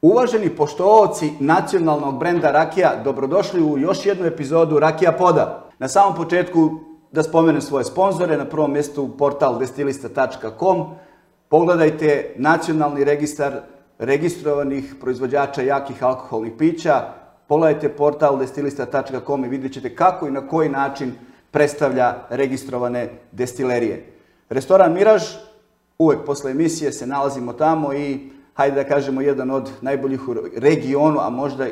Uvaženi poštovaoci nacionalnog brenda rakija, dobrodošli u još jednu epizodu Rakija Poda. Na samom početku da spomenem svoje sponzore, na prvom mjestu portal destilista.com. Pogledajte nacionalni registar registrovanih proizvođača jakih alkoholnih pića. Pogledajte portal destilista.com i vidjet ćete kako i na koji način predstavlja registrovane destilerije. Restoran Miraž, uvek posle emisije se nalazimo tamo i hajde da kažemo jedan od najboljih u regionu, a možda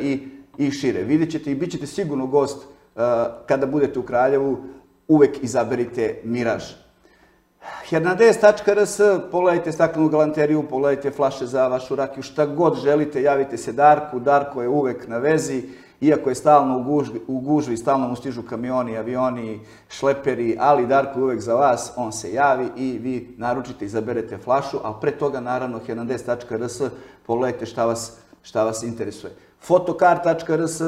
i šire. Vidjet ćete i bit ćete sigurno gost kada budete u Kraljevu, uvek izaberite Miraž. Hernandez.rs, pogledajte staklenu galanteriju, pogledajte flaše za vašu rakiju, šta god želite, javite se Darku. Darko je uvek na vezi, iako je stalno u gužvi, stalno mu stižu kamioni, avioni, šleperi, ali Darko je uvek za vas, on se javi i vi naručite, izaberete flašu, ali pre toga naravno hernandez.rs, pogledajte šta vas interesuje. Fotokar.rs,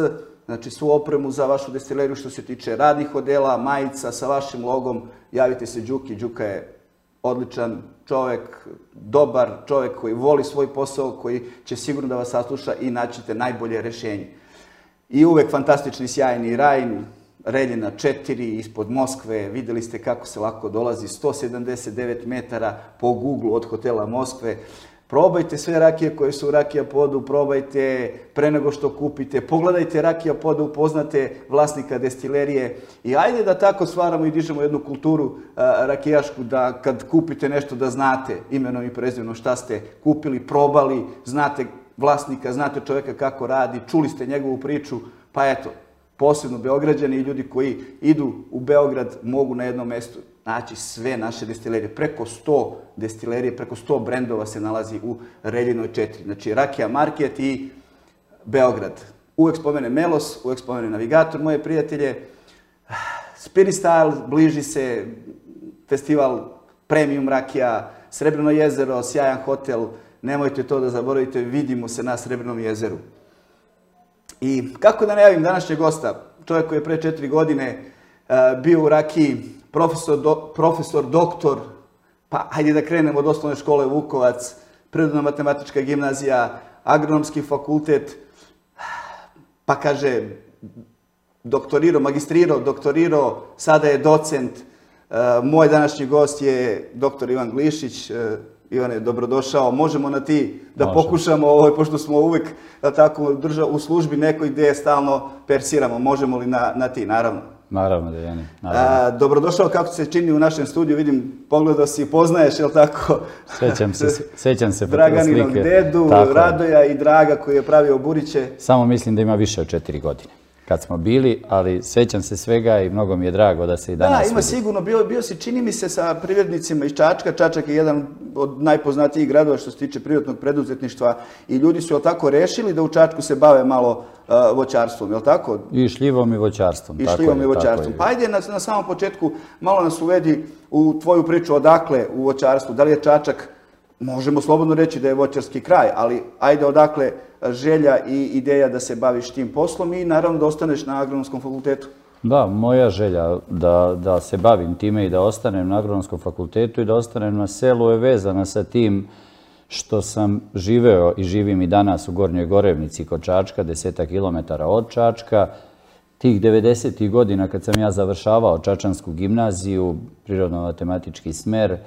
znači svu opremu za vašu destileriju što se tiče radnih odela, majica sa vašim logom, javite se Đuki. Đuka je odličan čovek, dobar čovek koji voli svoj posao, koji će sigurno da vas sasluša i naćete najbolje rešenje. I uvek fantastični, sjajni Rajn, Reljina 4, ispod Moskve, videli ste kako se lako dolazi, 179 metara po Google od hotela Moskve. Probajte sve rakije koje su u Rakija Podu, probajte pre nego što kupite, pogledajte Rakija Poda, upoznate vlasnika destilerije i ajde da tako stvaramo i dižemo jednu kulturu rakijašku, da kad kupite nešto da znate imenom i prezimenom šta ste kupili, probali, znate vlasnika, znate čovjeka kako radi, čuli ste njegovu priču, pa eto, posebno Beograđani i ljudi koji idu u Beograd mogu na jednom mestu naći sve naše destilerije. Preko 100 destilerije, preko 100 brendova se nalazi u Reljinoj 4. Znači Rakija Market i Beograd. Uvek spomene Melos, uvek spomene Navigator, moje prijatelje. Spirit Style, bliži se festival Premium Rakija, Srebrno jezero, sjajan hotel. Nemojte to da zaboravite, vidimo se na Srebrnom jezeru. I kako da najavim današnjeg gosta, čovjek koji je pre 4 godine bio u Rakiji, profesor, doktor, pa hajde da krenemo od osnovne škole Vukovac, Prirodno-matematička gimnazija, Agronomski fakultet, pa kaže doktorirao, magistrirao, doktorirao, sada je docent. Moj današnji gost je doktor Ivan Glišić. Ivane, dobrodošao. Možemo na ti da pokušamo, pošto smo uvek tako u službi nekoj gde stalno persiramo. Možemo li na ti, naravno? Naravno, Dejani. Dobrodošao, kako se čini u našem studiju, vidim, pogledao si, poznaješ, je li tako? Sećam se. Draganinog dedu, Radoja i Draga koji je pravio Buriće. Samo mislim da ima više od 4 godine kad smo bili, ali sećam se svega i mnogo mi je drago da se i danas vidi. Da, ima sigurno. Bio si, čini mi se, sa privrednicima iz Čačka. Čačak je jedan od najpoznatijih gradova što se tiče privatnog preduzetništva i ljudi su, je li tako, rešili da u Čačku se bave malo voćarstvom, je li tako? I šljivom i voćarstvom. I šljivom i voćarstvom. Pa ajde na samom početku malo nas uvedi u tvoju priču odakle u voćarstvu. Da li je Čačak, možemo slobodno reći da je voćarski kraj, ali ajde odakle želja i ideja da se baviš tim poslom i naravno da ostaneš na Agronomskom fakultetu. Da, moja želja da se bavim time i da ostanem na Agronomskom fakultetu i da ostanem na selu je vezana sa tim što sam živeo i živim i danas u Gornjoj Gorevnici kod Čačka, 10 kilometara od Čačka. Tih 90. godina kad sam ja završavao Čačansku gimnaziju, prirodno-matematički smer,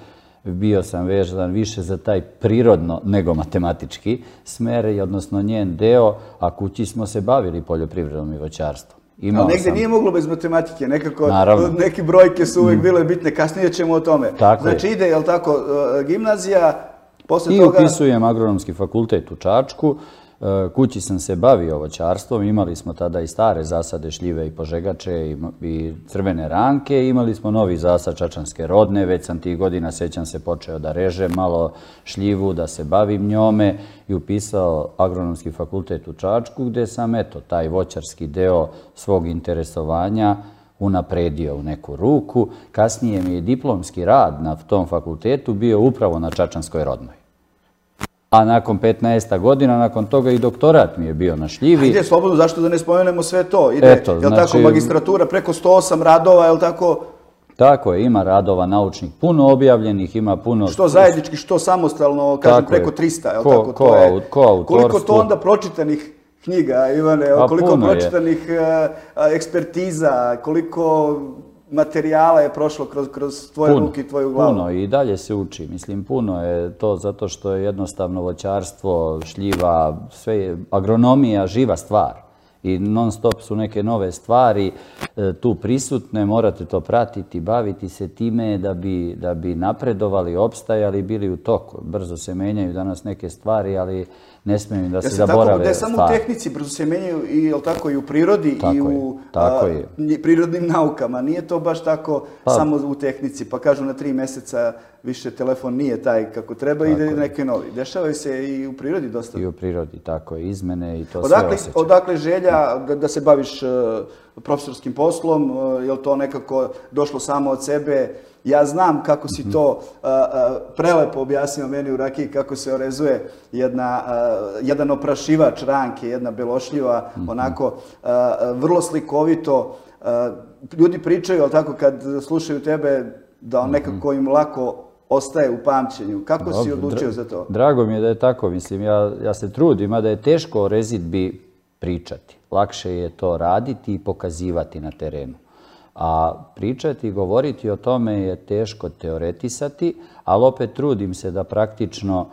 bio sam vezan više za taj prirodno nego matematički smer, odnosno njen deo, a kući smo se bavili poljoprivredom i voćarstvom. Ali negdje nije moglo bez matematike, nekako neke brojke su uvijek bile bitne, kasnije ćemo o tome. Znači ide, je li tako, gimnazija, posle toga... I upisujem Agronomski fakultet u Čačku. Kući sam se bavio voćarstvom, imali smo tada i stare zasade šljive i požegače i crvene ranke, imali smo novi zasad čačanske rodne, već sam tih godina, sećam se, počeo da režem malo šljivu, da se bavim njome i upisao Agronomski fakultet u Čačku, gde sam, eto, taj voćarski deo svog interesovanja unapredio u neku ruku. Kasnije mi je diplomski rad na tom fakultetu bio upravo na čačanskoj rodnoj. A nakon 15 godina, nakon toga i doktorat mi je bio na šljivi. Ide slobodno, zašto da ne spomenemo sve to? Ide, je li tako, magistratura preko 108 radova, je li tako? Tako je, ima radova naučnih, puno objavljenih, ima puno... Što zajednički, što samostalno, kažem preko 300, je li tako? Koliko to onda pročitanih knjiga, Ivane, koliko pročitanih ekspertiza, koliko materijala je prošlo kroz tvoje ruke i tvoju glavu? Puno i dalje se uči. Mislim, puno je to zato što je jednostavno voćarstvo, šljiva, sve je agronomija, živa stvar. I non stop su neke nove stvari tu prisutne, morate to pratiti, baviti se time da bi napredovali, opstajali, bili u toku. Brzo se menjaju danas neke stvari, ali ne smiju da se zaborave. Ne samo u tehnici, brzo se menjaju i u prirodi i u prirodnim naukama. Nije to baš tako samo u tehnici, pa kažu na 3 mjeseca više telefon nije taj kako treba i ide neke novi. Dešavaju se i u prirodi dosta. I u prirodi, tako je, izmene i to sve osjećaju. Odakle želja da se baviš profesorskim poslom, je li to nekako došlo samo od sebe? Ja znam kako si to prelepo objasnio meni u rakiji, kako se orezuje jedan oprašivač ranke, jedna belošljiva, onako vrlo slikovito. Ljudi pričaju, ali tako kad slušaju tebe, da nekako im lako ostaje u pamćenju. Kako si odlučio za to? Drago mi je da je tako. Mislim, ja se trudim, a da je teško o rezidbi pričati. Lakše je to raditi i pokazivati na terenu. A pričati i govoriti o tome je teško teoretisati, ali opet trudim se da praktično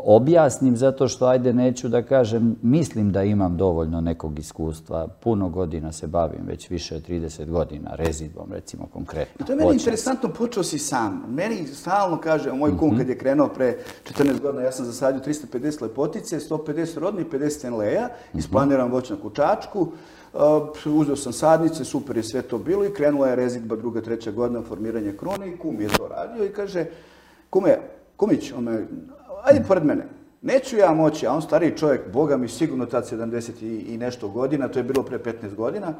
objasnim zato što, ajde, neću da kažem, mislim da imam dovoljno nekog iskustva. Puno godina se bavim, već više od 30 godina, rezidbom, recimo, konkretno. I to je meni interesantno, počeo si sam. Meni stalno kaže, moj kum kad je krenuo pre 14 godina, ja sam zasadio 350 lepotice, 150 rodnih, 50 enleja, isplaniram voćnjak u Čačku, uzeo sam sadnice, super je sve to bilo i krenula je rezidba 2. 3. godina, formiranje krone i kum je to radio i kaže, kumić, ajde pored mene, neću ja moći, a on stariji čovjek, boga mi sigurno tad 70 i nešto godina, to je bilo pre 15 godina.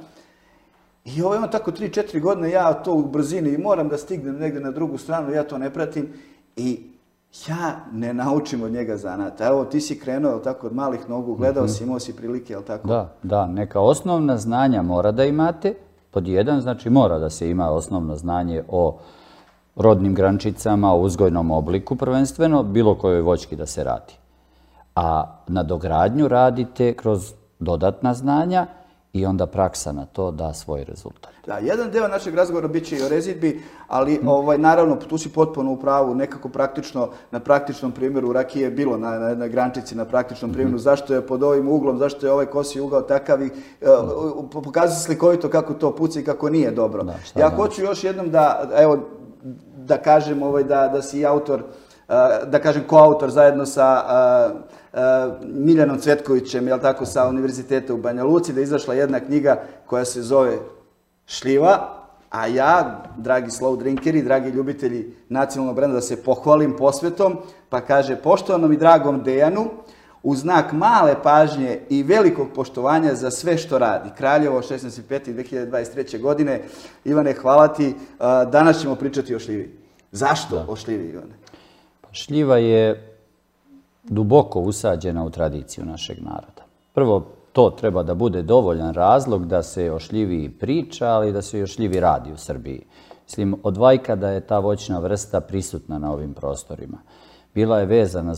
I ima tako 3-4 godine, ja to u brzini i moram da stignem negdje na drugu stranu, ja to ne pratim i ja ne naučim od njega zanata. Evo, ti si krenuo tako od malih nogu, gledao si, imao si prilike, jel tako? Da, neka osnovna znanja mora da imate. Pod jedan, znači mora da se ima osnovno znanje o rodnim grančicama, o uzgojnom obliku prvenstveno, bilo kojoj voćki da se radi. A nadogradnju radite kroz dodatna znanja i onda praksa na to da svoj rezultat. Da, jedan deo našeg razgovora bit će i o rezidbi, ali naravno tu si potpuno u pravu, nekako praktično, na praktičnom primjeru rakije je bilo na grančici, na praktičnom primjeru, zašto je pod ovim uglom, zašto je ovaj kosi ugao takav i pokazuje se slikovito kako to puca i kako nije dobro. Ja hoću još jednom da kažem da si autor, da kažem koautor zajedno sa Miljanom Cvetkovićem, jel tako, sa Univerziteta u Banja Luci, da je izašla jedna knjiga koja se zove Šljiva, a ja, dragi slow drinkeri, dragi ljubitelji nacionalnog brenda, da se pohvalim posvetom, pa kaže, poštovanom i dragom Dejanu, u znak male pažnje i velikog poštovanja za sve što radi. Kraljevo, 16.5.2023. godine. Ivane, hvala ti. Danas ćemo pričati o šljivi. Zašto o šljivi, Ivane? Šljiva je duboko usađena u tradiciju našeg naroda. Prvo, to treba da bude dovoljan razlog da se o šljivi priča, ali i da se o šljivi radi u Srbiji. Mislim, od vajka da je ta voćna vrsta prisutna na ovim prostorima. Bila je vezana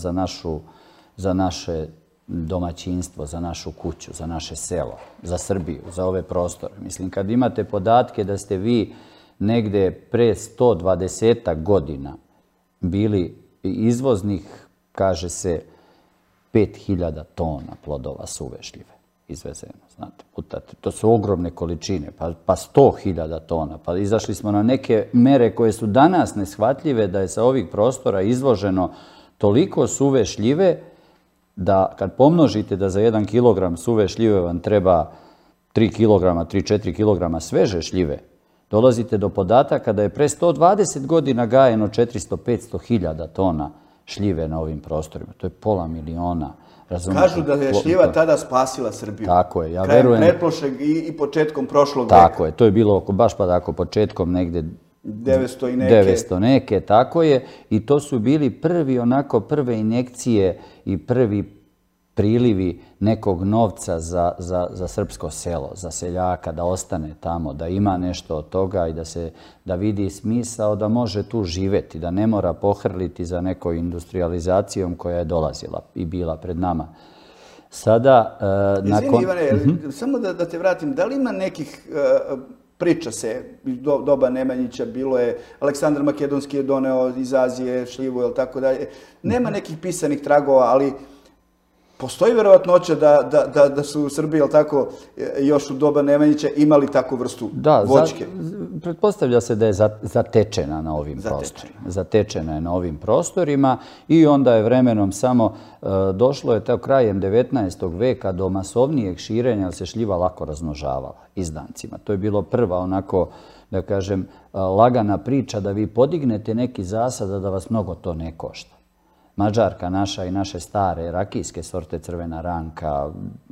za naše domaćinstvo, za našu kuću, za naše selo, za Srbiju, za ove prostore. Mislim, kad imate podatke da ste vi negde pre 120 godina bili izvoznih, kaže se, 5000 tona plodova suve šljive izvezeno, znate, putate. To su ogromne količine, pa 100.000 tona. Pa izašli smo na neke mere koje su danas neshvatljive da je sa ovih prostora izvoženo toliko suve šljive da kad pomnožite da za 1 kilogram suve šljive vam treba 3-4 kilograma sveže šljive, dolazite do podataka da je pre 120 godina gajeno 400-500.000 tona šljive na ovim prostorima. To je pola miliona. Kažu da je šljiva tada spasila Srbiju. Tako je, ja verujem. Krajem pretprošleg i početkom prošlog veka. Tako je, to je bilo baš pa tako početkom negde 900 i neke. 900 neke, tako je. I to su bili prve injekcije i prvi prilivi nekog novca za srpsko selo, za seljaka, da ostane tamo, da ima nešto od toga i da vidi smisao da može tu živjeti, da ne mora pohrliti za nekoj industrializacijom koja je dolazila i bila pred nama. Sada, Izvini, Ivane, samo da te vratim, da li ima nekih priča se, doba Nemanjića, bilo je, Aleksandar Makedonski je doneo iz Azije šljivu, ili tako dalje, nema nekih pisanih tragova, ali postoji verovatnoća da su u Srbiji, jel tako, još u doba Nemanjića imali takvu vrstu voćke? Da, pretpostavlja se da je zatečena na ovim prostorima. Zatečena je na ovim prostorima i onda je vremenom samo došlo je krajem 19. veka do masovnijeg širenja, jer se šljiva lako razmnožavala izdancima. To je bilo prva onako, da kažem, lagana priča da vi podignete neki zasad, da vas mnogo to ne košta. Mađarka naša i naše stare rakijske sorte crvena ranka,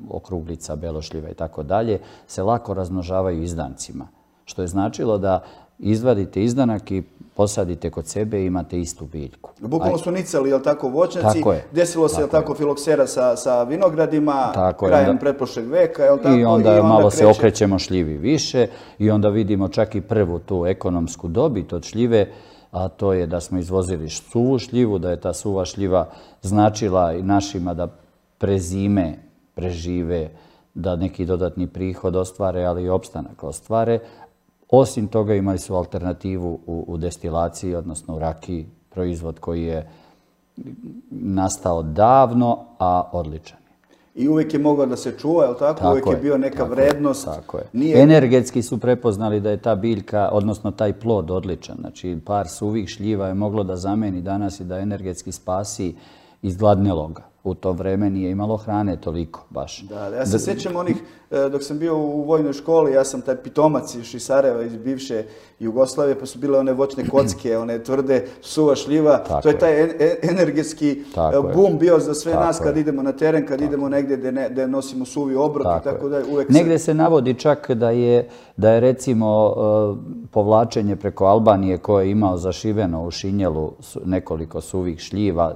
okruglica, belošljiva i tako dalje se lako razmnožavaju izdancima. Što je značilo da izvadite izdanak i posadite kod sebe i imate istu biljku. Bukvalno su nicali, jel tako, voćnjaci. Desilo se, jel tako, filoksera sa vinogradima krajem pretprošleg veka, jel tako? I onda malo se okrećemo šljivi više i onda vidimo čak i prvu tu ekonomsku dobit od šljive, a to je da smo izvozili suvu šljivu, da je ta suva šljiva značila i našima da prezime, prežive, da neki dodatni prihod ostvare, ali i opstanak ostvare. Osim toga imali su alternativu u destilaciji, odnosno u rakiji, proizvod koji je nastao davno, a odličan. I uvijek je mogao da se čuva, je li tako? Uvijek je bio neka vrednost. Tako je. Energetski su prepoznali da je ta biljka, odnosno taj plod odličan. Znači, par suvih šljiva je moglo da zameni danas i da energetski spasi izgladneloga. U to vreme nije imalo hrane toliko baš. Da, ja se sjećam onih, dok sam bio u vojnoj školi, ja sam taj pitomac iz Sarajeva, iz bivše Jugoslavije, pa su bile one voćne kocke, one tvrde, suva šljiva. To je taj energetski bum bio za sve nas kad idemo na teren, kad idemo negdje gdje nosimo suvi obrok i tako da uvek... Negdje se navodi čak da je recimo povlačenje preko Albanije koje je imao zašiveno u šinjelu nekoliko suvih šljiva,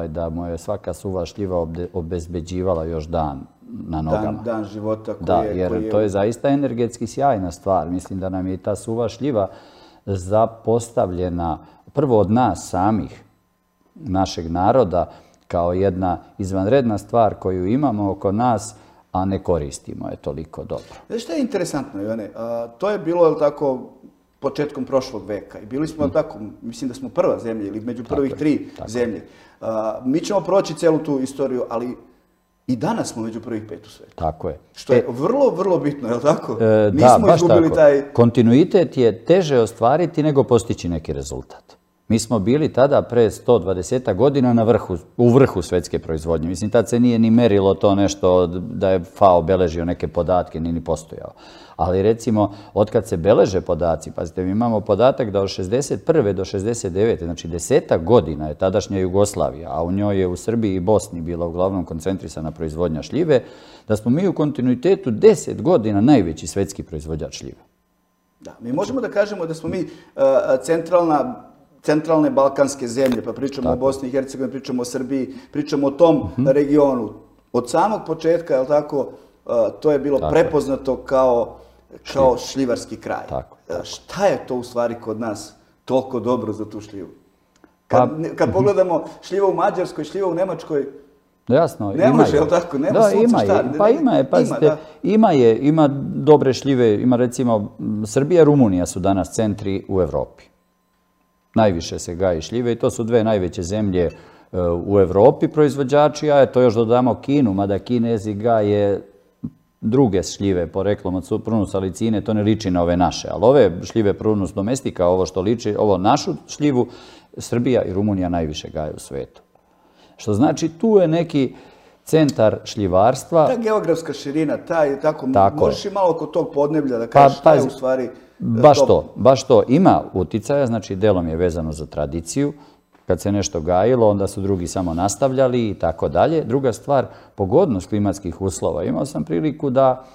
da mu je svaka suva šljiva obezbeđivala još dan na nogama. Dan života koji je... Da, jer to je zaista energetski sjajna stvar. Mislim da nam je ta suva šljiva zapostavljena prvo od nas samih, našeg naroda, kao jedna izvanredna stvar koju imamo oko nas, a ne koristimo je toliko dobro. Znaš što je interesantno, Ivane? To je bilo, je li tako, početkom prošlog veka. I bili smo, tako, mislim da smo prva zemlja ili među prvih tri zemlje. Mi ćemo proći celu tu istoriju, ali i danas smo među prvih 5 u svijetu. Tako je. Što je vrlo, vrlo bitno, je li tako? Nismo izgubili taj... Kontinuitet je teže ostvariti nego postići neki rezultat. Mi smo bili tada pre 120 godina u vrhu svjetske proizvodnje. Mislim, tad se nije ni merilo to nešto da je FAO beležio neke podatke, ni postojao. Ali recimo, otkad se beleže podaci, pazite, mi imamo podatak da od 61. do 69. znači 10 godina je tadašnja Jugoslavija, a u njoj je u Srbiji i Bosni bila uglavnom koncentrisana proizvodnja šljive, da smo mi u kontinuitetu 10 godina najveći svjetski proizvođač šljive. Da, mi možemo da kažemo da smo mi centralne balkanske zemlje, pa pričamo o Bosni i Hercegovini, pričamo o Srbiji, pričamo o tom regionu. Od samog početka, je li tako, to je bilo prepoznato kao šljivarski kraj. Šta je to u stvari kod nas toliko dobro za tu šljivu? Kad pogledamo šljiva u Mađarskoj, šljiva u Nemačkoj, jasno, ne može, je li tako? Da, ima je, pazite, ima dobre šljive, ima recimo Srbija i Rumunija su danas centri u Evropi. Najviše se gaji šljive i to su dve najveće zemlje u Evropi proizvođači, a to još dodamo Kinu, mada Kinezi gaje druge šljive poreklom od Prunus salicine, to ne liči na ove naše, ali ove šljive Prunus domestika, ovo što liči, ovo našu šljivu, Srbija i Rumunija najviše gaje u svetu. Što znači tu je neki centar šljivarstva. Ta geografska širina, možeš i malo oko tog podneblja da kažeš šta je u stvari... Baš to ima uticaja, znači delom je vezano za tradiciju. Kad se nešto gajilo, onda su drugi samo nastavljali i tako dalje. Druga stvar, pogodnost klimatskih uslova. Imao sam priliku da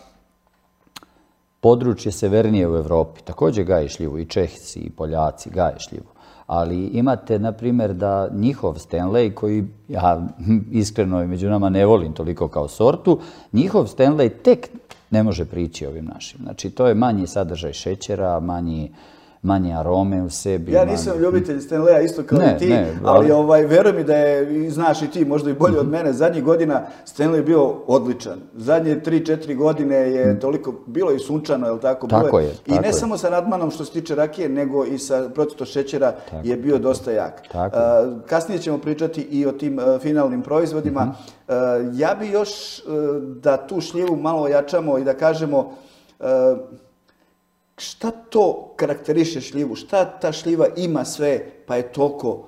područje severnije u Evropi također gaje šljivu, i Čehci i Poljaci gaje šljivu. Ali imate, na primjer, da njihov Stanley, koji ja iskreno i među nama ne volim toliko kao sortu, njihov Stanley tek ne može prići ovim našim. Znači, to je manji sadržaj šećera, manje arome u sebi. Ja nisam ljubitelj Stanleya isto kao i ti, ali veruj mi da je, znaš i ti, možda i bolje od mene, zadnjih godina Stanley je bio odličan. Zadnje 3-4 godine je toliko, bilo i sunčano, je li tako? Tako je. I ne samo sa Radmanom što se tiče rakije, nego i sa procentom šećera je bio dosta jak. Kasnije ćemo pričati i o tim finalnim proizvodima. Ja bi još da tu šljivu malo ojačamo i da kažemo šta to karakteriše šljivu? Šta ta šljiva ima sve pa je toliko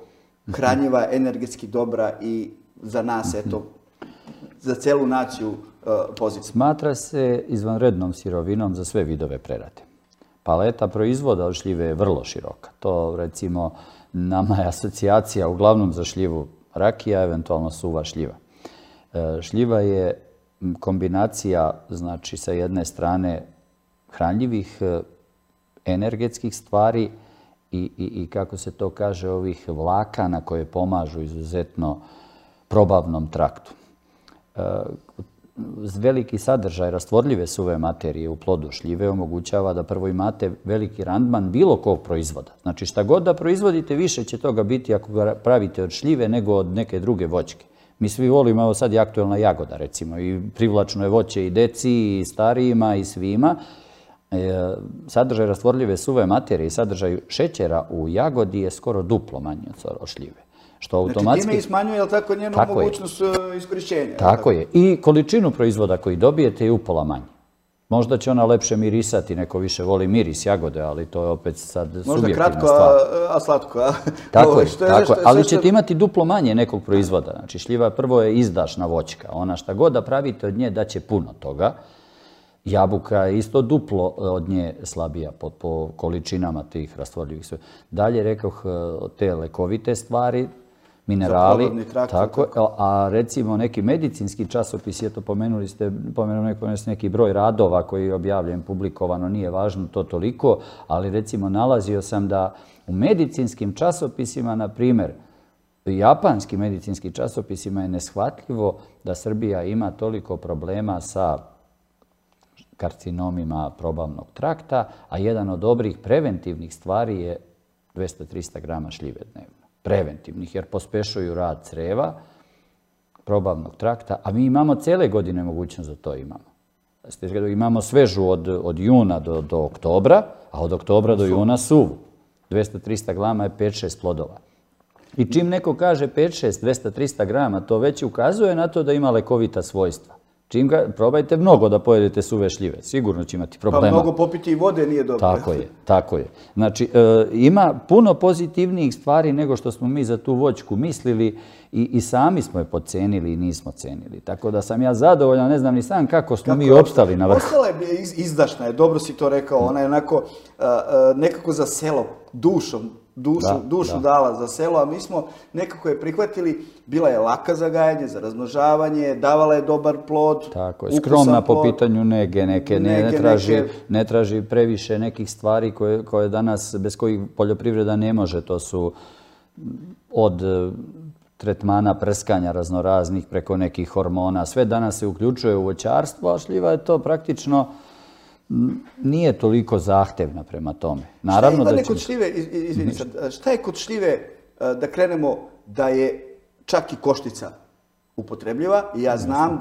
hranjiva, energetski dobra i za nas, eto, za celu naciju pozitivna? Smatra se izvanrednom sirovinom za sve vidove prerade. Paleta proizvoda od šljive je vrlo široka. To, recimo, nama je asocijacija uglavnom za šljivu rakija, eventualno suva šljiva. Šljiva je kombinacija, znači, sa jedne strane hranljivih energetskih stvari i kako se to kaže, ovih vlakana koje pomažu izuzetno probavnom traktu. Veliki sadržaj rastvorljive suve materije u plodu šljive omogućava da prvo imate veliki randman bilo kog proizvoda. Znači, šta god da proizvodite, više će toga biti ako ga pravite od šljive nego od neke druge voćke. Mi svi volimo, evo sad je aktuelna jagoda, recimo, i privlačno je voće i deci, i starijima, i svima. Sadržaj rastvorljive suve materije i sadržaj šećera u jagodi je skoro duplo manji od šljive. Znači, time i smanjuje, je li tako, njenu mogućnost iskorišćenja? Tako je. I količinu proizvoda koji dobijete je upola manje. Možda će ona lepše mirisati, neko više voli miris jagode, ali to je opet sad subjektivna stvar. Možda kratko, a slatko. Tako je, ali ćete imati duplo manje nekog proizvoda. Znači, šljiva prvo je izdašna voćka. Ona šta god da pravite od nje daće puno toga. Jabuka je isto duplo od nje slabija po količinama tih rastvorljivih sve. Dalje, rekoh, te lekovite stvari, minerali, tako, a recimo neki medicinski časopis, eto pomenuli ste neki broj radova koji je objavljen, publikovano, nije važno to toliko, ali recimo nalazio sam da u medicinskim časopisima, na primjer, japanskim medicinskim časopisima je neshvatljivo da Srbija ima toliko problema sa karcinomima probavnog trakta, a jedan od dobrih preventivnih stvari je 200-300 grama šljive dnevno. Preventivnih, jer pospešuju rad creva, probavnog trakta, a mi imamo cele godine mogućnost da to imamo. Imamo svežu od juna do oktobra, a od oktobra do juna suvu. 200-300 grama je 5-6 plodova. I čim neko kaže 5-6, 200-300 grama, to već ukazuje na to da ima lekovita svojstva. Probajte mnogo da pojedete suve šljive, sigurno će imati problema. Pa mnogo popiti i vode nije dobro. Tako je. Znači, ima puno pozitivnijih stvari nego što smo mi za tu voćku mislili i sami smo je podcenili i nismo cenili. Tako da sam ja zadovoljan, ne znam ni sam kako smo mi opstali na vrhu. Ostala je izdašna, je, dobro si to rekao, ona je onako nekako za selo, dušu dala za selo, a mi smo nekako je prihvatili, bila je laka za gajanje, za razmnožavanje, davala je dobar plod, tako je, skromna po pitanju nege, ne traži previše nekih stvari koje danas, bez kojih poljoprivreda ne može, to su od tretmana prskanja raznoraznih preko nekih hormona, sve danas se uključuje u voćarstvo, a šljiva je to praktično nije toliko zahtevna prema tome. Šta je kod šljive, da krenemo, da je čak i koštica upotrebljiva? Ja znam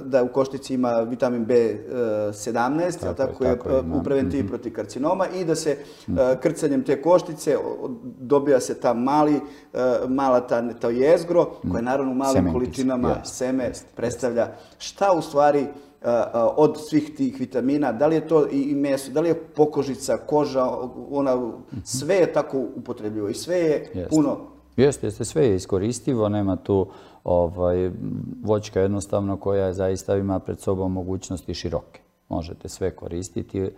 da u koštici ima vitamin B17, tako je u preventivi protiv karcinoma, i da se krcanjem te koštice dobija se ta mala to jezgro, koje naravno u malim količinama seme predstavlja. Šta u stvari od svih tih vitamina, da li je to i meso, da li je pokožica, koža, sve je tako upotrebljivo i sve je puno. Jeste, sve je iskoristivo, nema tu voćka jednostavno koja zaista ima pred sobom mogućnosti široke. Možete sve koristiti.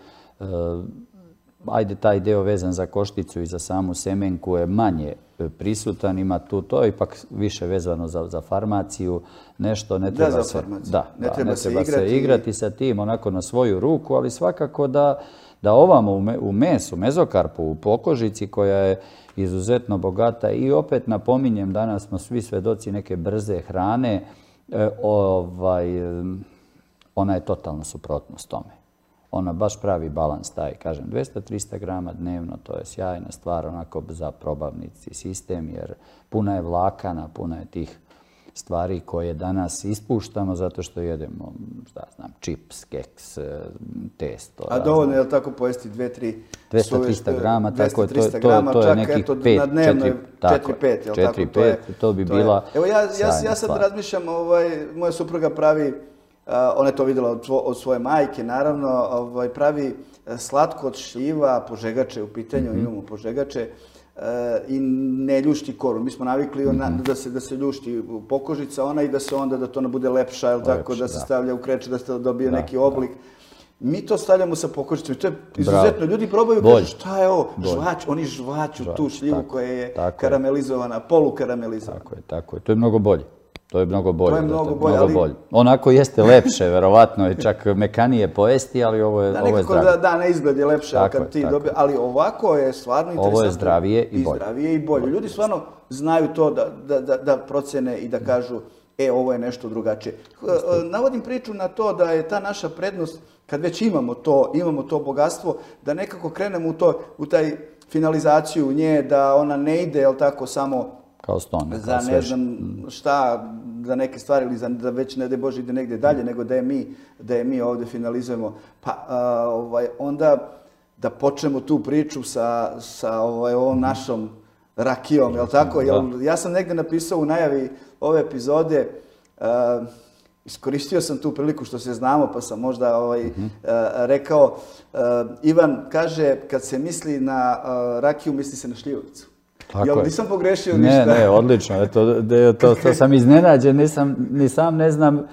Ajde, taj deo vezan za košticu i za samu semenku je manje prisutan, ima tu, to je ipak više vezano za farmaciju, nešto ne treba se igrati sa tim onako na svoju ruku, ali svakako da ovamo u mesu, mezokarpu, u pokožici koja je izuzetno bogata i opet napominjem, danas smo svi svedoci neke brze hrane, ona je totalno suprotnost tome. Ona baš pravi balans taj, kažem, 200-300 grama dnevno, to je sjajna stvar onako za probavnici sistem, jer puna je vlakana, puna je tih stvari koje danas ispuštamo zato što jedemo, šta znam, čips, keks, testo. A dovoljno je li tako pojesti 200-300 grama, tako je, to je nekih 4-5, to bi bila Evo ja sad razmišljam, moja supruga pravi, ona je to vidjela od svoje majke, naravno, pravi slatko od šljiva, požegače u pitanju, imamo požegače, i ne ljušti koru. Mi smo navikli da se ljušti pokožica ona i da se onda da to ne bude lepša, ili tako, da se stavlja u kreče, da se dobije neki oblik. Mi to stavljamo sa pokožicom i to je izuzetno. Ljudi probaju i kažu šta je ovo? Žvać, oni žvaću tu šljivu koja je karamelizovana, polukaramelizovana. Tako je. To je mnogo bolje. To je mnogo bolje. Onako jeste lepše, verovatno je čak mekanije pojesti, ali ovo je zdravije. Da, na izgled je lepše kad ti dobije, ali ovako je stvarno interesantno. Ovo je zdravije i bolje. Ljudi stvarno znaju to da procene i da kažu ovo je nešto drugačije. Navodim priču na to da je ta naša prednost, kad već imamo to bogatstvo, da nekako krenemo u taj finalizaciju nje, da ona ne ide, jel tako, samo za ne znam šta, za neke stvari ili da već ne daj Bože ide negdje dalje, nego da je mi ovdje finalizujemo. Pa onda da počnemo tu priču sa ovom našom rakijom, jel tako? Ja sam negdje napisao u najavi ove epizode, iskoristio sam tu priliku što se znamo, pa sam možda rekao, Ivan kaže, kad se misli na rakiju, misli se na šljivovicu. Jel nisam pogrešio ništa? Ne, odlično. To sam iznenađen, ni sam ne znam.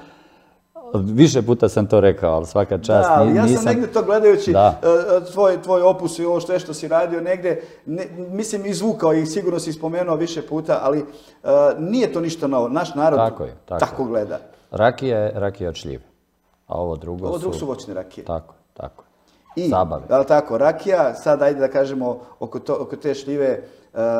Više puta sam to rekao, ali svaka čast. Da, ali ja sam negdje to gledajući tvoj opus i ovo što si radio negdje, mislim izvukao i sigurno si spomenuo više puta, ali nije to ništa novo. Naš narod tako gleda. Rakija je rakija od šljive, a ovo drugo su voćne rakije. Tako. I, tako, rakija, sad ajde da kažemo oko te šljive,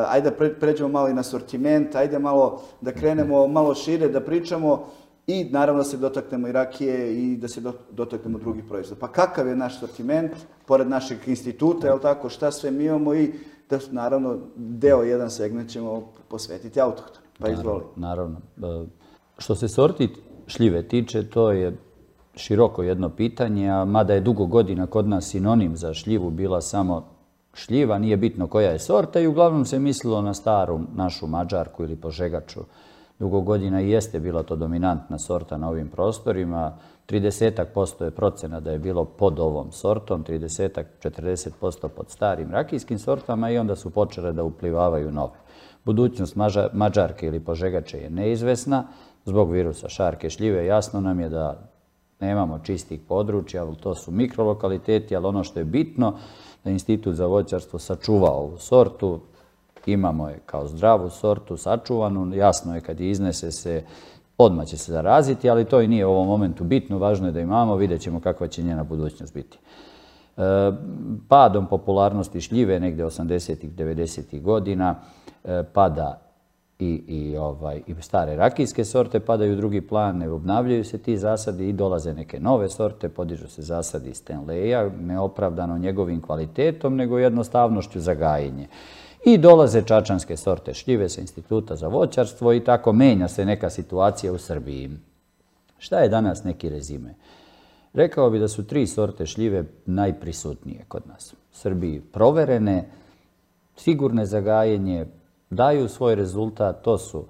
ajde da pređemo malo i na sortiment, ajde malo da krenemo malo šire, da pričamo i naravno da se dotaknemo i rakije i da se dotaknemo drugih proizvoda. Pa kakav je naš sortiment, pored našeg instituta, jel tako, šta sve mi imamo i da naravno jedan segment ćemo posvetiti autohtonu. Pa izvoli. Naravno. Što se sorti šljive tiče, to je široko jedno pitanje, a mada je dugo godina kod nas sinonim za šljivu bila samo šljiva, nije bitno koja je sorta i uglavnom se mislilo na staru našu mađarku ili požegaču. Dugo godina i jeste bila to dominantna sorta na ovim prostorima. 30% je procena da je bilo pod ovom sortom, 30-40% pod starim rakijskim sortama i onda su počele da uplivavaju nove. Budućnost mađarke ili požegače je neizvesna zbog virusa šarke šljive. Jasno nam je da nemamo čistih područja, ali to su mikrolokaliteti, ali ono što je bitno da Institut za voćarstvo sačuva ovu sortu, imamo je kao zdravu sortu, sačuvanu, jasno je kad je iznese se, odmah će se zaraziti, ali to i nije u ovom momentu bitno, važno je da imamo, vidjet ćemo kakva će njena budućnost biti. Padom popularnosti šljive, negdje 80-ih, 90-ih godina, pada i stare rakijske sorte padaju u drugi plan, ne obnavljaju se ti zasadi i dolaze neke nove sorte, podižu se zasadi Stanleya, neopravdano njegovim kvalitetom, nego jednostavnošću za gajenje. I dolaze čačanske sorte šljive sa Instituta za voćarstvo i tako menja se neka situacija u Srbiji. Šta je danas neki rezime? Rekao bi da su 3 sorte šljive najprisutnije kod nas. U Srbiji proverene, sigurne za gajenje, daju svoj rezultat, to su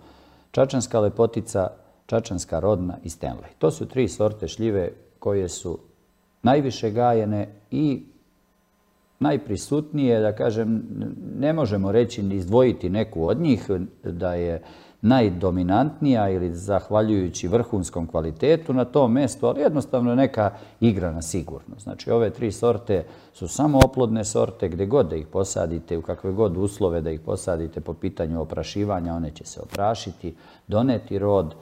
čačanska lepotica, čačanska rodna i Stanley. To su 3 sorte šljive koje su najviše gajene i najprisutnije, da kažem, ne možemo reći ni izdvojiti neku od njih da je najdominantnija ili zahvaljujući vrhunskom kvalitetu na tom mjestu, ali jednostavno je neka igra na sigurno. Znači, ove 3 sorte su samo oplodne sorte, gdje god da ih posadite, u kakve god uslove da ih posadite po pitanju oprašivanja, one će se oprašiti, doneti rod.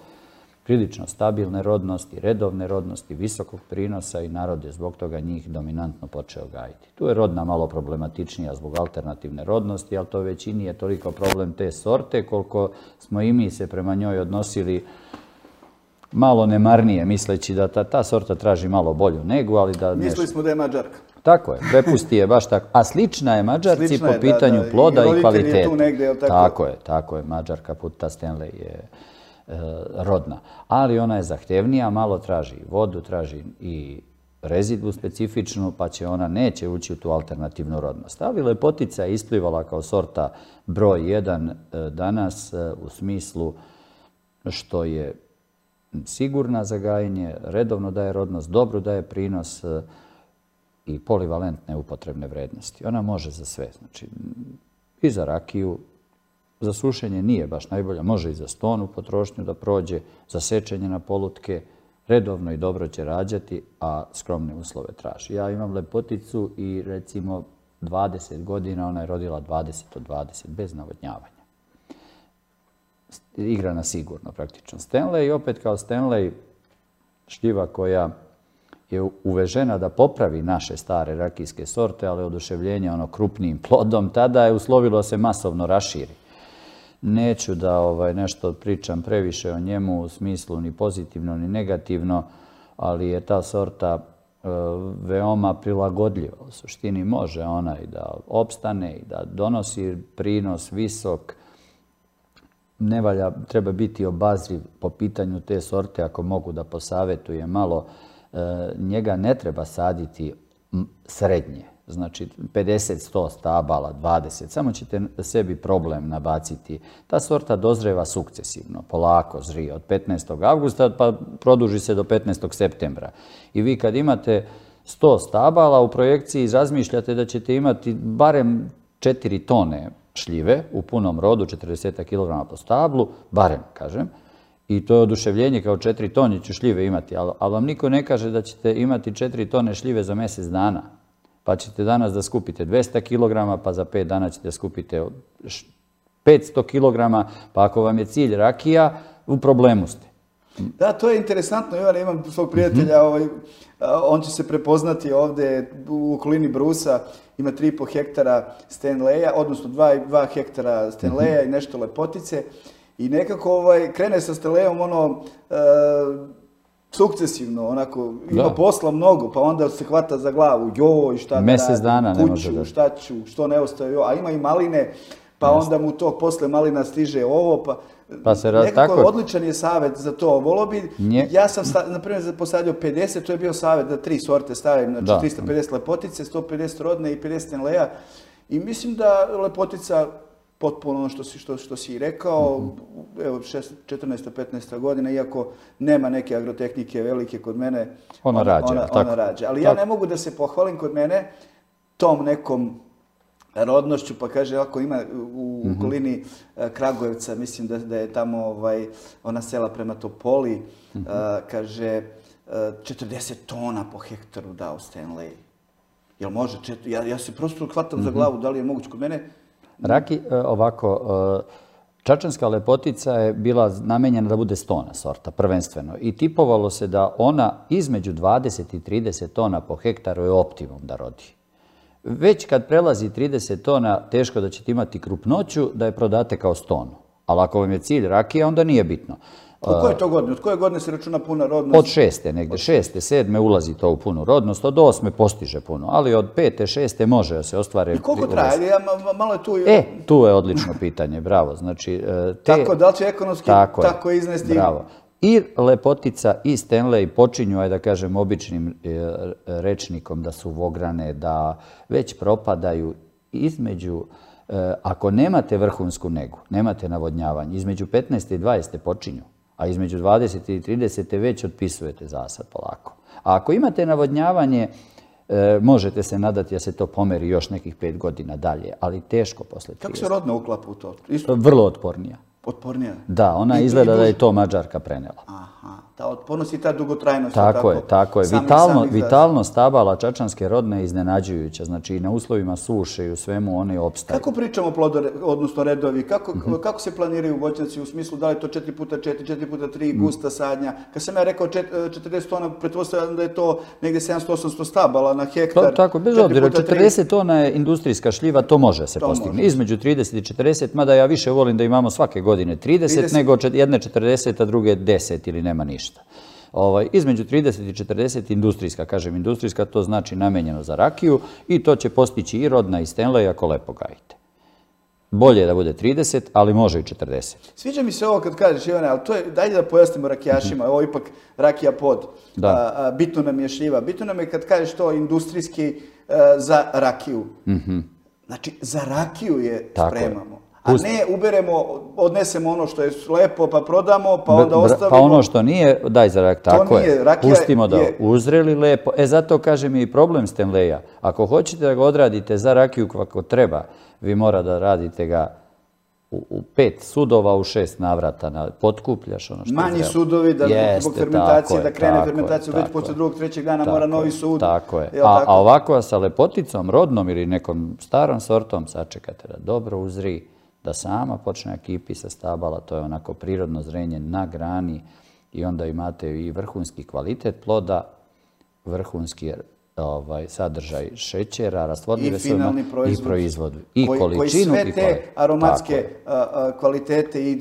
prilično stabilne rodnosti, redovne rodnosti, visokog prinosa i narod je zbog toga njih dominantno počeo gajiti. Tu je rodna malo problematičnija zbog alternativne rodnosti, ali to već i nije toliko problem te sorte koliko smo i mi se prema njoj odnosili malo nemarnije, misleći da ta sorta traži malo bolju negu, ali da... Mislili smo da je Mađarka. Tako je, prepusti je baš tako. A slična je Mađarci po pitanju ploda i kvalitete. Tako je, Mađarka puta Stanley je rodna. Ali ona je zahtevnija, malo traži vodu, traži i rezidvu specifičnu, pa neće ući u tu alternativnu rodnost. Ali Lepotica je isplivala kao sorta broj 1 danas u smislu što je sigurna za gajenje, redovno daje rodnost, dobro daje prinos i polivalentne upotrebne vrednosti. Ona može za sve, znači i za rakiju, za sušenje nije baš najbolja, može i za stonu potrošnju da prođe, za sečenje na polutke, redovno i dobro će rađati, a skromne uslove traži. Ja imam Lepoticu i recimo 20 godina ona je rodila 20 od 20 bez navodnjavanja. Igra na sigurno praktično. Stanley, opet kao Stanley, šljiva koja je uvežena da popravi naše stare rakijske sorte, ali oduševljenje krupnijim plodom, tada je uslovilo se masovno raširi. Neću da nešto pričam previše o njemu u smislu ni pozitivno ni negativno, ali je ta sorta veoma prilagodljiva. U suštini može ona i da opstane i da donosi prinos visok. Ne valja, treba biti obazriv po pitanju te sorte, ako mogu da posavetuje malo. Njega ne treba saditi srednje, znači 50-100 stabala, 20, samo ćete sebi problem nabaciti. Ta sorta dozreva sukcesivno, polako zrije od 15. avgusta pa produži se do 15. septembra. I vi kad imate 100 stabala u projekciji razmišljate da ćete imati barem 4 tone šljive u punom rodu, 40 kg po stablu, barem, kažem, i to je oduševljenje kao 4 tone ću šljive imati, ali vam niko ne kaže da ćete imati 4 tone šljive za mjesec dana. Pa ćete danas da skupite 200 kg, pa za 5 dana ćete da skupite 500 kg, pa ako vam je cilj rakija, u problemu ste. Da, to je interesantno. Ivan, imam svog prijatelja, on će se prepoznati ovdje u okolini Brusa, ima 3,5 hektara Stanleya, odnosno 2 hektara Stanleya i nešto Lepotice. I nekako krene sa Stanleyom sukcesivno, onako, ima posla mnogo, pa onda se hvata za glavu, joj, šta da radim, kuću, šta ću, što ne ostaje, a ima i maline, pa onda mu to posle malina stiže ovo, pa nekako odličan je savjet za to. Volio bi, ja sam, na primjer, posadio 50, to je bio savjet da 3 sorte stavim, znači 350 Lepotice, 150 rodne i 50 Stanleya. I mislim da Lepotica, potpuno ono što si rekao, evo 14-15 godina, iako nema neke agrotehnike velike kod mene, ona rađa. Ali ja ne mogu da se pohvalim kod mene tom nekom rodnošću, pa kaže, ako ima u okolini Kragujevca, mislim da je tamo ona sela prema Topoli, kaže 40 tona po hektaru dao Stanley. Jel može? Ja se prosto hvatam za glavu, da li je moguće kod mene? Raki, ovako, čačanska Lepotica je bila namenjena da bude stona sorta, prvenstveno. I tipovalo se da ona između 20 i 30 tona po hektaru je optimum da rodi. Već kad prelazi 30 tona, teško da ćete imati krupnoću da je prodate kao stonu. Ali ako vam je cilj rakija, onda nije bitno. Od koje to godine? Od koje godine se računa puna rodnost? Od 6. negde. 6. 7. ulazi to u punu rodnost, od 8. postiže puno, ali od 5. 6. može da se ostvare. I koliko traje? Malo je tu... Tu je odlično pitanje, bravo. Znači, tako, da li će ekonomski tako iznesti? Bravo. I Lepotica i Stanley počinju, da kažem, običnim rečnikom da su vograne, da već propadaju između, ako nemate vrhunsku negu, nemate navodnjavanje, između 15. i 20. počinju, a između 20. i 30. već otpisujete zasad polako. A ako imate navodnjavanje, možete se nadati da se to pomeri još nekih 5 godina dalje, ali teško posle 30. Kako se rodno uklapa u to? Vrlo otpornija. Otpornija? Da, ona izgleda da je to Mađarka prenela. Ta otpornost i ta dugotrajnost. Tako je. Vitalnost stabala čačanske rodne je iznenađujuća. Znači i na uslovima suše i u svemu one opstaju. Kako pričamo odnosno redovi? Kako se planiraju voćnjaci u smislu da li je to 4x4, 4x3 gusta sadnja? Kad sam ja rekao 40 tona, pretpostavljam da je to negdje 700-800 stabala na hektar. Tako, bez obzira, 40 tona je industrijska šljiva, to može se postignuti. Između 30 i 40, mada ja više volim da imamo svake godine 30, nego jedne 40, a druge 10 ili nema ništa. Između 30 i 40 industrijska, kažem industrijska, to znači namenjeno za rakiju i to će postići i rodna i Stanley ako lepo gajite. Bolje je da bude 30, ali može i 40. Sviđa mi se ovo kad kažeš, Ivane, ali to je, dajde da pojasnimo rakijašima, ovo je ipak rakija pod, bitno nam je šljiva. Bitno nam je kad kažeš to industrijski za rakiju. Znači, za rakiju je spremamo. A ne uberemo, odnesemo ono što je lepo, pa prodamo, pa onda ostavimo. Pa ono što nije, daj za rakiju. Tako je. Pustimo da uzreli lepo. Zato kažem i problem Stanleya. Ako hoćete da ga odradite za rakiju kako treba, vi mora da radite ga u 5 sudova, u 6 navrata. Potkupljaš ono što je manji sudovi, da zbog fermentacije, da krene fermentaciju, već posle 2-3 dana mora novi sud. Tako je. A ovako sa lepoticom, rodnom ili nekom starom sortom, sačekate da dobro uzri, da sama počne kipi sa stabala, to je onako prirodno zrenje na grani i onda imate i vrhunski kvalitet ploda, vrhunski sadržaj šećera, rastvorljive finalni proizvod. I količinu. Koji sve te aromatske kvalitete i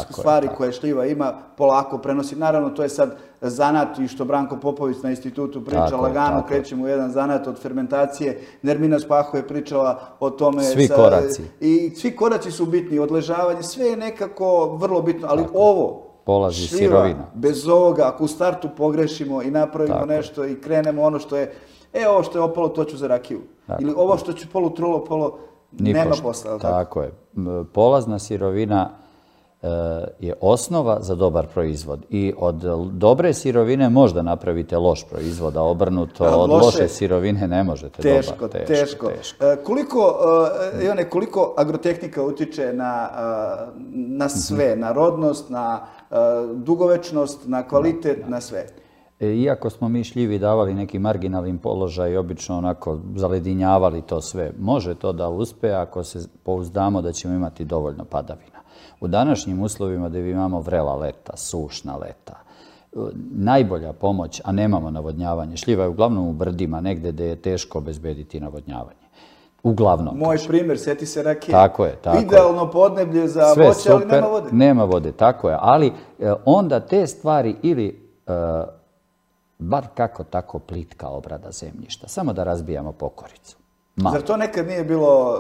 stvari koje šljiva ima polako prenosi. Naravno, to je sad zanat i što Branko Popović na institutu priča, lagano krećemo u jedan zanat od fermentacije. Nermina Spaho je pričala o tome. Svi koraci. I svi koraci su bitni, odležavanje, sve je nekako vrlo bitno, ali ovo, polazi sirovina. Bez ovoga, ako u startu pogrešimo i napravimo nešto i krenemo ono što je, ovo što je opalo, to ću za rakiju. Ili ovo što ću polutrulo, nema posla. Tako je. Polazna sirovina je osnova za dobar proizvod. I od dobre sirovine možda napravite loš proizvod, a obrnuto od loše sirovine ne možete dobar. Teško. Koliko agrotehnika utiče na sve, na rodnost, na dugovečnost, na kvalitet, na sve? Iako smo mi šljivi davali neki marginalni položaj i obično onako zaledinjavali to sve, može to da uspe ako se pouzdamo da ćemo imati dovoljno padavina. U današnjim uslovima gdje imamo vrela leta, sušna leta, najbolja pomoć, a nemamo navodnjavanje, šljiva je uglavnom u brdima, negdje gdje je teško obezbediti navodnjavanje. Uglavnom. Moj primjer, sjeti se rakije. Tako je. Idealno podneblje za voće, ali nema vode. Nema vode, tako je. Ali onda te stvari ili bar kako tako plitka obrada zemljišta, samo da razbijamo pokoricu. Zar to nekad nije bilo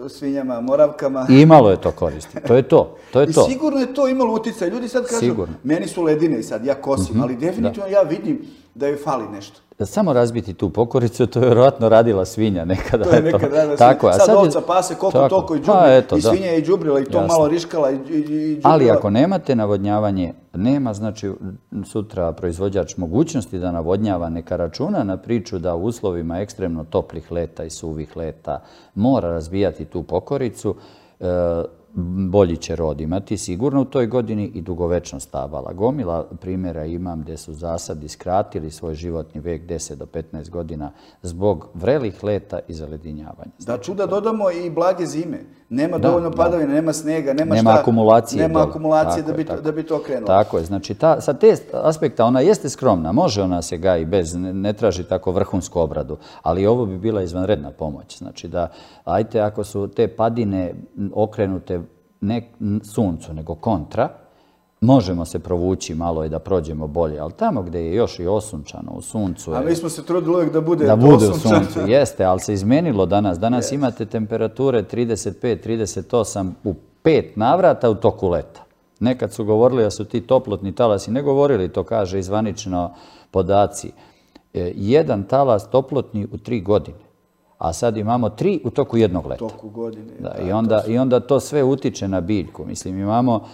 svinjama, moravkama? Imalo je to koristi. To je to. I sigurno je to imalo utjecaj. Ljudi sad kažu, meni su ledine sad, ja kosim, ali definitivno ja vidim da joj fali nešto. Samo razbiti tu pokoricu, to je vjerojatno radila svinja nekada. To je nekad radila svinja. Sad ovca pase koliko toliko i džubri, i svinja je i džubrila i to malo riškala i džubrila. Ali ako nemate navodnjavanje, nema znači sutra proizvođač mogućnosti da navodnjava, neka računa na priču da u uslovima ekstremno toplih leta i suvih leta mora razbijati tu pokoricu, bolji će rod imati sigurno u toj godini i dugovečnost stabala. Gomila primjera imam gdje su zasadi skratili svoj životni vek 10 do 15 godina zbog vrelih leta i zaledinjavanja. Da čuda dodamo i blage zime. Nema dovoljno padavina, nema snega, nema akumulacije. Nema akumulacije da bi to krenulo. Tako je. Znači, sa te aspekta ona jeste skromna, može ona se gaji bez, ne traži tako vrhunsku obradu, ali ovo bi bila izvanredna pomoć. Znači da, ajte, ako su te padine okrenute ne suncu, nego kontra, možemo se provući malo i da prođemo bolje, ali tamo gdje je još i osunčano u suncu... A mi smo se trudili uvijek da bude osunčano. U suncu, jeste, ali se izmenilo danas. Danas imate temperature 35-38 u 5 navrata u toku leta. Nekad su govorili da su ti toplotni talasi, ne govorili, to kaže izvanično podaci. Jedan talas toplotni u 3 godine. A sad imamo 3 u toku jednog leta. U toku godine. I onda to sve utiče na biljku. Mislim, imamo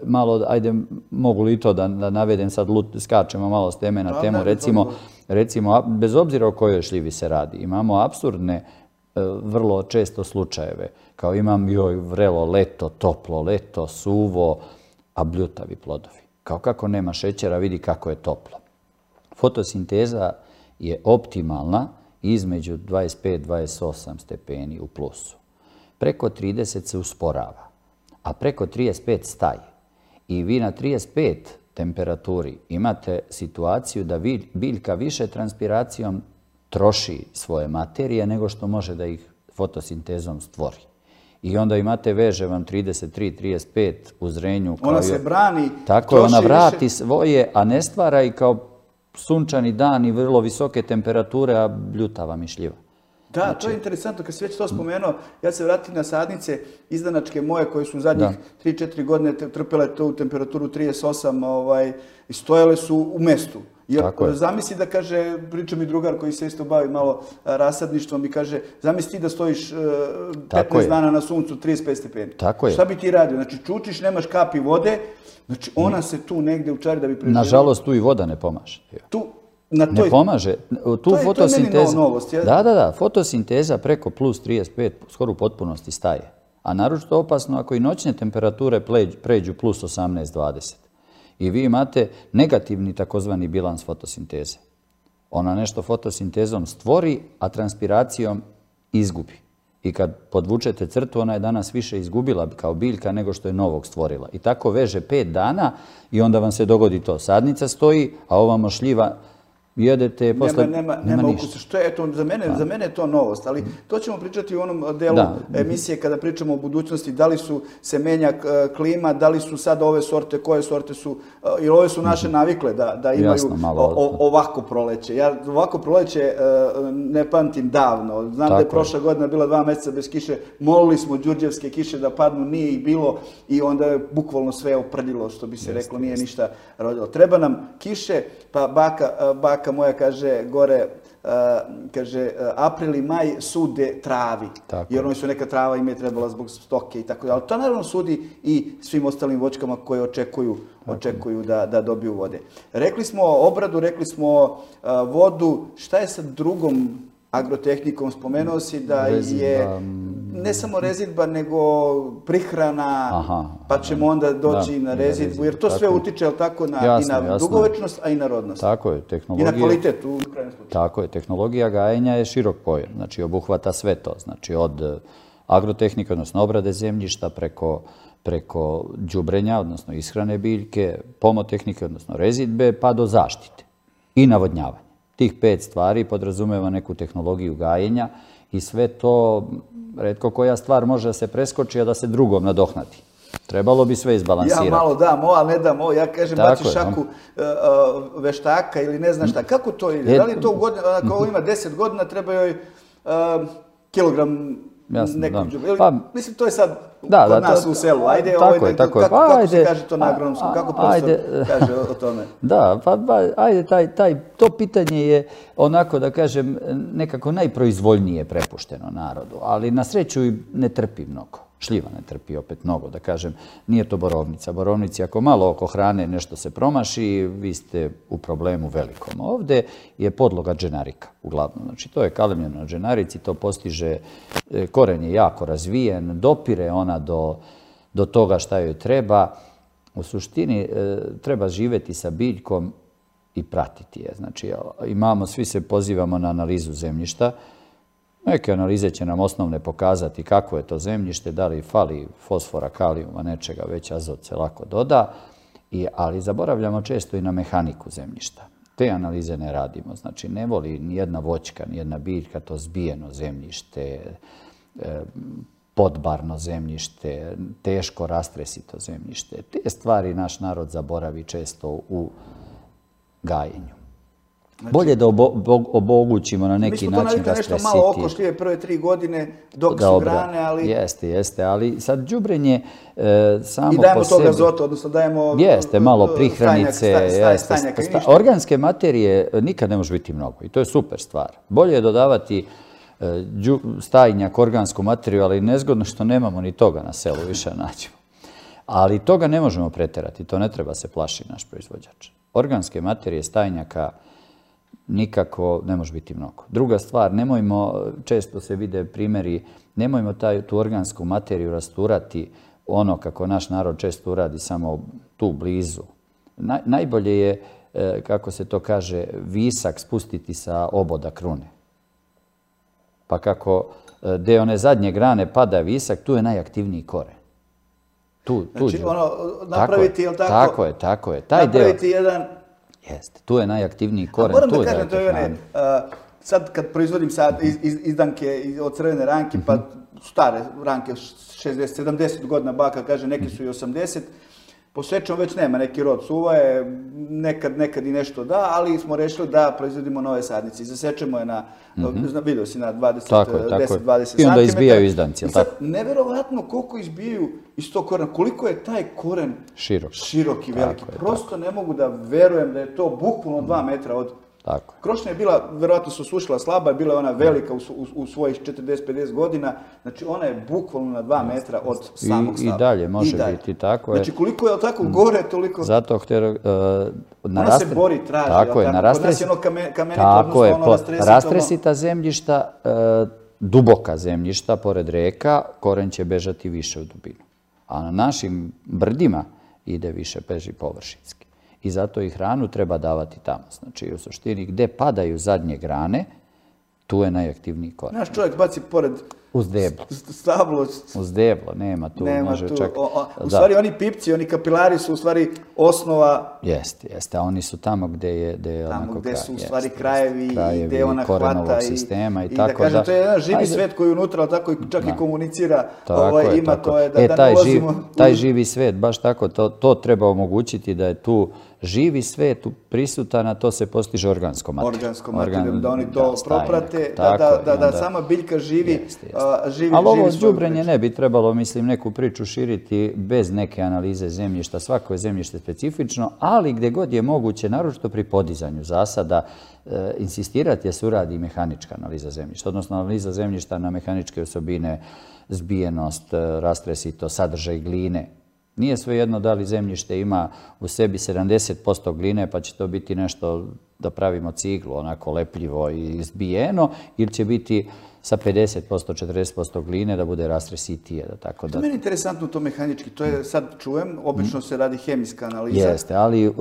malo, ajde, mogu li to da navedem sad, skačemo malo s teme na temu, recimo, bez obzira o kojoj šljivi se radi, imamo apsurdne, vrlo često slučajeve, kao imam vrelo leto, toplo leto, suvo, a bljutavi plodovi. kao kako nema šećera, vidi kako je toplo. Fotosinteza je optimalna između 25-28 stepeni u plusu. Preko 30 se usporava, a preko 35 staje. I vi na 35 temperaturi imate situaciju da biljka više transpiracijom troši svoje materije nego što može da ih fotosintezom stvori. I onda imate, veže vam 33-35 u zrenju. Ona se brani, tako je, ona vrati svoje, a ne stvara i kao sunčani dan i vrlo visoke temperature, a bljutava mišljiva. Da, to je interesantno. Kad si već to spomenuo, ja se vratim na sadnice izdanačke moje koje su zadnjih 3-4 godine trpele tu temperaturu 38 i stojale su u mestu. Jer zamisli da kaže, priča mi drugar koji se isto bavi malo rasadništvom i kaže, zamisli ti da stojiš 15 dana na suncu 35 stepeni. Tako je. Šta bi ti radio? Znači čučiš, nemaš kapi vode, znači ona se tu negde učari da bi preživjela. Nažalost, tu i voda ne pomaže. Ne pomaže. To je meni novost. Da. Fotosinteza preko plus 35 skoro u potpunosti staje. A naročito opasno ako i noćne temperature pređu plus 18-20. I vi imate negativni takozvani bilans fotosinteze. Ona nešto fotosintezom stvori, a transpiracijom izgubi. I kad podvučete crtu, ona je danas više izgubila kao biljka nego što je novog stvorila. I tako veže 5 dana i onda vam se dogodi to. Sadnica stoji, a ovamo šljiva jedete, posle nema ukusa. Što je to? Za mene je to novost, ali to ćemo pričati u onom delu emisije kada pričamo o budućnosti, da li se menja klima, da li su sad ove sorte, koje sorte su, jer ove su naše navikle da imaju ovako proleće. Ja ovako proleće ne pamtim davno. Znam da je prošla godina bila 2 meseca bez kiše, molili smo đurđevske kiše da padnu, nije ih bilo i onda je bukvalno sve oprdilo, što bi se reklo, nije ništa rodilo. Treba nam kiše, pa baka moja kaže gore, kaže april i maj sude travi, jer oni su neka trava im je trebala zbog stoke i tako dalje. Ali to naravno sudi i svim ostalim voćkama koje očekuju da dobiju vode. Rekli smo obradu, rekli smo vodu, šta je sa drugom agrotehnikom? Spomenuo si da je ne samo rezidba, nego prihrana, pa ćemo onda doći na rezidbu, jer to sve utiče i na dugovečnost, a i na rodnost. Tako je, i na kvalitet u krajnjem slučaju. Tako je, tehnologija gajenja je širok pojam, znači obuhvata sve to, znači od agrotehnike, odnosno obrade zemljišta, preko đubrenja, odnosno ishrane biljke, pomotehnike, odnosno rezidbe, pa do zaštite i navodnjavanja. Tih 5 stvari podrazumeva neku tehnologiju gajenja i sve to, retko koja stvar može da se preskoči, a da se drugom nadohnati. Trebalo bi sve izbalansirati. Ja malo damo, a ne damo. Ja kažem, baci šaku veštaka ili ne znam šta. Kako to ide? Da li to ako ima 10 godina, treba joj kilogram nekog đubriva? Mislim, to je sad kod nas u selu. Ajde, kako se kaže to na agronomskom? Kako profesor kaže o tome? Da, pa ajde, to pitanje je onako, da kažem, nekako najproizvoljnije prepušteno narodu, ali na sreću i ne trpi mnogo. Šljiva ne trpi opet mnogo, da kažem, nije to borovnica. Borovnici, ako malo oko hrane nešto se promaši, vi ste u problemu velikom. Ovde je podloga dženarika, uglavnom. Znači, to je kalemljeno na dženarici, to postiže, koren je jako razvijen, dopire ona do toga šta joj treba. U suštini, treba živeti sa biljkom i pratiti je. Znači, svi se pozivamo na analizu zemljišta. Neke analize će nam osnovne pokazati kako je to zemljište, da li fali fosfora, kalijuma, nečega, već azot se lako doda, ali zaboravljamo često i na mehaniku zemljišta. Te analize ne radimo, znači ne voli nijedna voćka, nijedna biljka to zbijeno zemljište, podbarno zemljište, teško rastresito zemljište. Te stvari naš narod zaboravi često u gajenju. Bolje da obogućimo na neki način rastresiti. Mi smo to navikli nešto malo oko šljive prve 3 godine dok su grane, ali... Jeste, ali sad đubrijenje samo po sebi... I dajemo tog azota, odnosno dajemo... Jeste, malo prihranice, organske materije nikad ne može biti mnogo i to je super stvar. Bolje je dodavati stajnjak, organsku materiju, ali nezgodno što nemamo ni toga na selu, više nađemo. Ali toga ne možemo preterati, to ne treba se plaši naš proizvođač. Organske materije, stajnjaka, nikako ne može biti mnogo. Druga stvar, nemojmo, često se vide primjeri, nemojmo tu organsku materiju rasturati ono kako naš narod često uradi samo tu blizu. Najbolje je, kako se to kaže, visak spustiti sa oboda krune. Pa kako gdje one zadnje grane pada visak, tu je najaktivniji koren. Znači, napraviti, jel tako? Tako je. Napraviti jedan... Jeste, tu je najaktivniji koren. Moram da kažem, to je sad kad proizvodim izdanke od crvene ranke, pa stare ranke, 60-70 godina baka, kaže, neki su i 80, posvećamo već nema neki rod suvaje, nekad i nešto da, ali smo rešili da proizvodimo nove sadnice. Zasečemo je na, vidio si, na 10-20 cm. I onda izbijaju izdanci, jel tako? I sad, neverovatno koliko izbijaju iz tog korena, koliko je taj koren širok i veliki. Prosto ne mogu da verujem da je to bukvalno 2 metra od... Krošnja je bila, verovatno se osušila slaba, bila je ona velika u svojih 40-50 godina, znači ona je bukvalno na 2 metra od samog stava. I dalje može biti, tako je. Znači koliko je tako gore, toliko... Zato ona se bori, traži, tako je, kod nas je ono kamenito, odnosno ono rastresito. Rastresita zemljišta, duboka zemljišta, pored reka, koren će bežati više u dubinu. A na našim brdima ide više, beži površinski. I zato i hranu treba davati tamo. Znači, u suštini, gde padaju zadnje grane, tu je najaktivniji koren. Naš čovjek baci pored uz deblo. Stablo. Uz deblo, nema tu. U stvari, oni pipci, oni kapilari su u stvari osnova... Jeste, a oni su tamo gde je... Tamo gde su u stvari krajevi i gde ona hvata sistema i tako da... kažem, to je jedan živi svet koji je unutra, tako čak i komunicira, ima to je da ne ulazimo... Taj živi svet, baš tako, to treba omogućiti da je tu živi svet prisutan, a to se postiže organskom materijom. Da oni to proprate, da sama biljka živi. Ali ovo đubrenje ne bi trebalo, mislim, neku priču širiti bez neke analize zemljišta. Svako je zemljište specifično, ali gdje god je moguće, naročito pri podizanju zasada, insistirati je se uradi mehanička analiza zemljišta, odnosno analiza zemljišta na mehaničke osobine, zbijenost, rastresito, sadržaj gline. Nije svejedno da li zemljište ima u sebi 70% gline, pa će to biti nešto da pravimo ciglu, onako lepljivo i zbijeno, ili će biti sa 50%, 40% gline da bude rastresitije. To je meni interesantno to mehanički, to je sad čujem, obično se radi hemijska analiza. Jeste, ali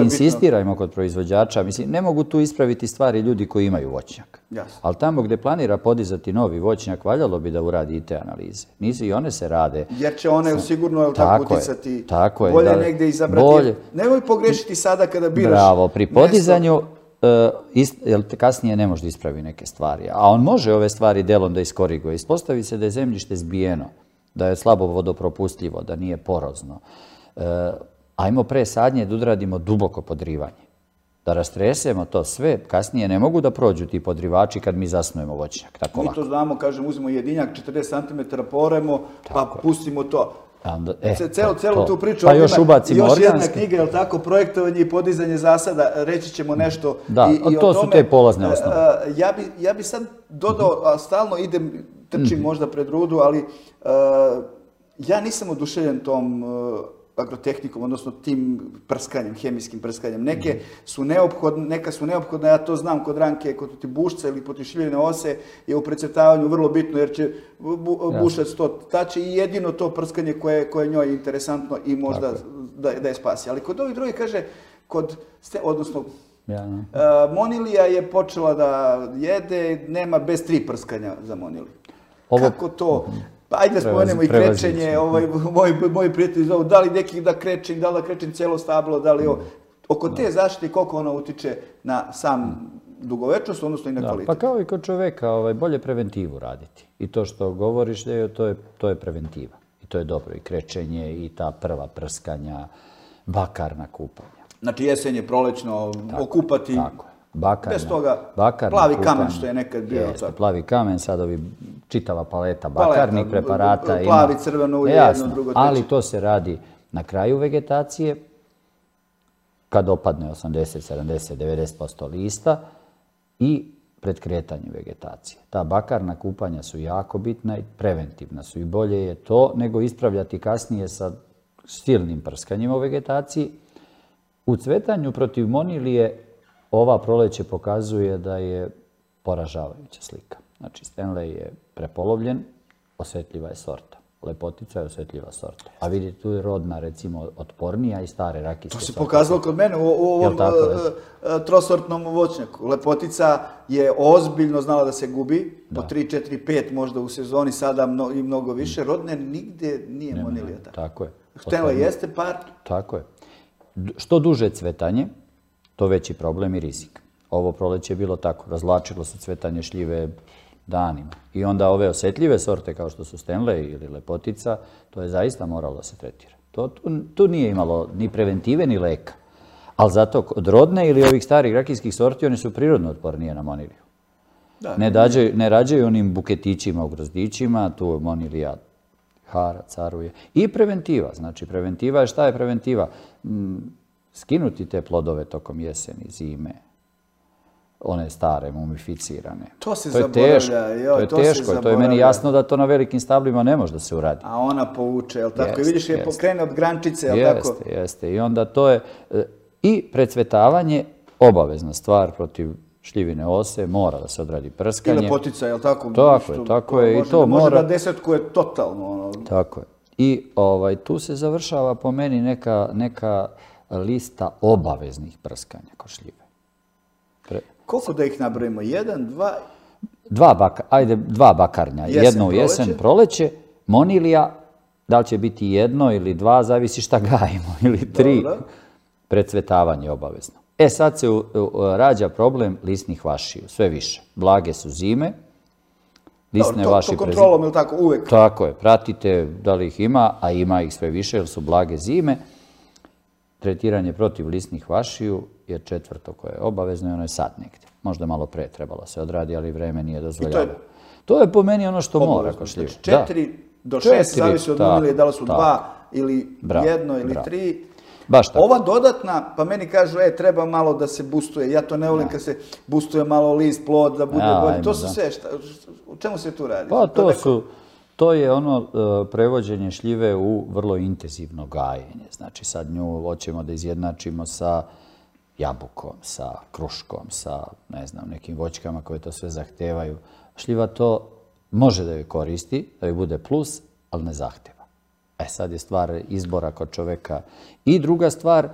insistirajmo kod proizvođača, mislim, ne mogu tu ispraviti stvari ljudi koji imaju voćnjak. Ali tamo gdje planira podizati novi voćnjak, valjalo bi da uradi i te analize. Nisu i one se rade. Jer će one sigurno tako uticati, bolje negdje izabrati. Nemoj pogrešiti sada kada biraš. Bravo, pri podizanju kasnije ne može da ispravi neke stvari. A on može ove stvari delom da iskoriguje. Ispostavi se da je zemljište zbijeno, da je slabo vodopropustljivo, da nije porozno. Ajmo pre sadnje da udradimo duboko podrivanje. Da rastresemo to sve, kasnije ne mogu da prođu ti podrivači kad mi zasnujemo voćnjak. Mi to znamo, kažem, uzmemo jedinjak, 40 cm poremo, pa pustimo to. Celu tu priču, još jedna knjiga, je li tako, projektovanje i podizanje zasada, reći ćemo nešto i o tome. To su te polazne osnove. Ja bi sad dodao, stalno idem, trčim možda pred rudu, ali ja nisam oduševljen tom agrotehnikom, odnosno tim prskanjem, hemijskim prskanjem. Neka su neophodne, ja to znam kod ranke, kod bušca ili potišiljene ose je u precrtavanju vrlo bitno jer će bušac to tače i jedino to prskanje koje njoj je interesantno i možda da je spasi. Ali kod ovih drugih kaže, odnosno monilija je počela da jede, nema bez 3 prskanja za moniliju. Kako to? Pa ajde da spomenemo i krečenje, moji prijatelji zovu, da li neki da krećem, da li da krećem cijelo stablo, da li oko te zaštite koliko ona utiče na sam dugovečnost, odnosno i na kvalitet. Pa kao i kod čoveka, bolje preventivu raditi. I to što govoriš, to je preventiva. I to je dobro. I krečenje, i ta prva prskanja, bakarna kupanja. Znači jesenje, prolećno, okupati. Bez toga, plavi kamen što je nekad bio. Jeste, plavi kamen, sad čitava paleta bakarnih preparata. Plavi, crveno ulje, jedno, drugo, treće. Ali to se radi na kraju vegetacije, kad opadne 80, 70, 90% lista i pred kretanjem vegetacije. Ta bakarna kupanja su jako bitna i preventivna su i bolje je to nego ispravljati kasnije sa silnim prskanjima u vegetaciji. U cvetanju protiv monilije ova proleće pokazuje da je poražavajuća slika. Znači, Stanley je prepolovljen, osjetljiva je sorta. Lepotica je osjetljiva sorta. A vidite, tu je rodna, recimo, otpornija i stare rakijske sorte. To se pokazalo kod mene u ovom trosortnom voćnjaku. Lepotica je ozbiljno znala da se gubi, po 3, 4, 5 možda u sezoni, sada i mnogo više. Rodne nigde nije monilija tako. Tako je. Htela jeste par. Tako je. Što duže cvetanje, to veći problem i rizik. Ovo proleće je bilo tako. Razvlačilo se cvetanje šljive danima. I onda ove osjetljive sorte kao što su Stanley ili Lepotica, to je zaista moralo da se tretira. Tu nije imalo ni preventive ni leka. Ali zato od rodne ili ovih starih rakijskih sorti oni su prirodno otpornije na moniliju. Ne rađaju onim buketićima u grozdićima, tu monilija hara, caruje. I preventiva. Znači, preventiva je šta je preventiva? Skinuti te plodove tokom jeseni, zime, one stare, mumificirane. To se zaboravlja. To je teško. To je meni jasno da to na velikim stablima ne može da se uradi. A ona povuče, jel tako? I vidiš je pokrene od grančice, jel tako? Jeste. I onda to je... I precvetavanje, obavezna stvar protiv šljivine ose, mora da se odradi prskanje. I Lepotica, jel tako? Tako je. I to može da desetkuje totalno. Tako je. I tu se završava po meni neka lista obaveznih prskanja kod šljive. Koliko da ih nabrojimo? 1, 2? Dva bakarnja. Jedno u jesen, proleće, monilija, da li će biti 1 ili 2, zavisi šta gajimo, ili 3. Precvetavanje obavezno. Sad se rađa problem lisnih vašiju, sve više. Blage su zime, lisne vaši... To kontrolom, ili tako, uvek? Tako je, pratite da li ih ima, a ima ih sve više, jer su blage zime. Tretiranje protiv lisnih vašiju je 4. koje je obavezno i ono je sad negdje. Možda malo pre trebalo se odradi, ali vreme nije dozvoljavalo. To je po meni ono što mora kod šljive. 4 do 6, zavisi od monilije, da li su 2 ili 1 ili 3. Ova dodatna, pa meni kažu, treba malo da se boostuje. Ja to ne volim kad se boostuje malo list, plod, da bude bolje. To su sve, u čemu se tu radi? Pa to je ono prevođenje šljive u vrlo intenzivno gajenje. Znači sad nju hoćemo da izjednačimo sa jabukom, sa kruškom, sa nekim voćkama koje to sve zahtevaju. Šljiva to može da joj koristi, da joj bude plus, ali ne zahteva. Sad je stvar izbora kod čoveka. I druga stvar,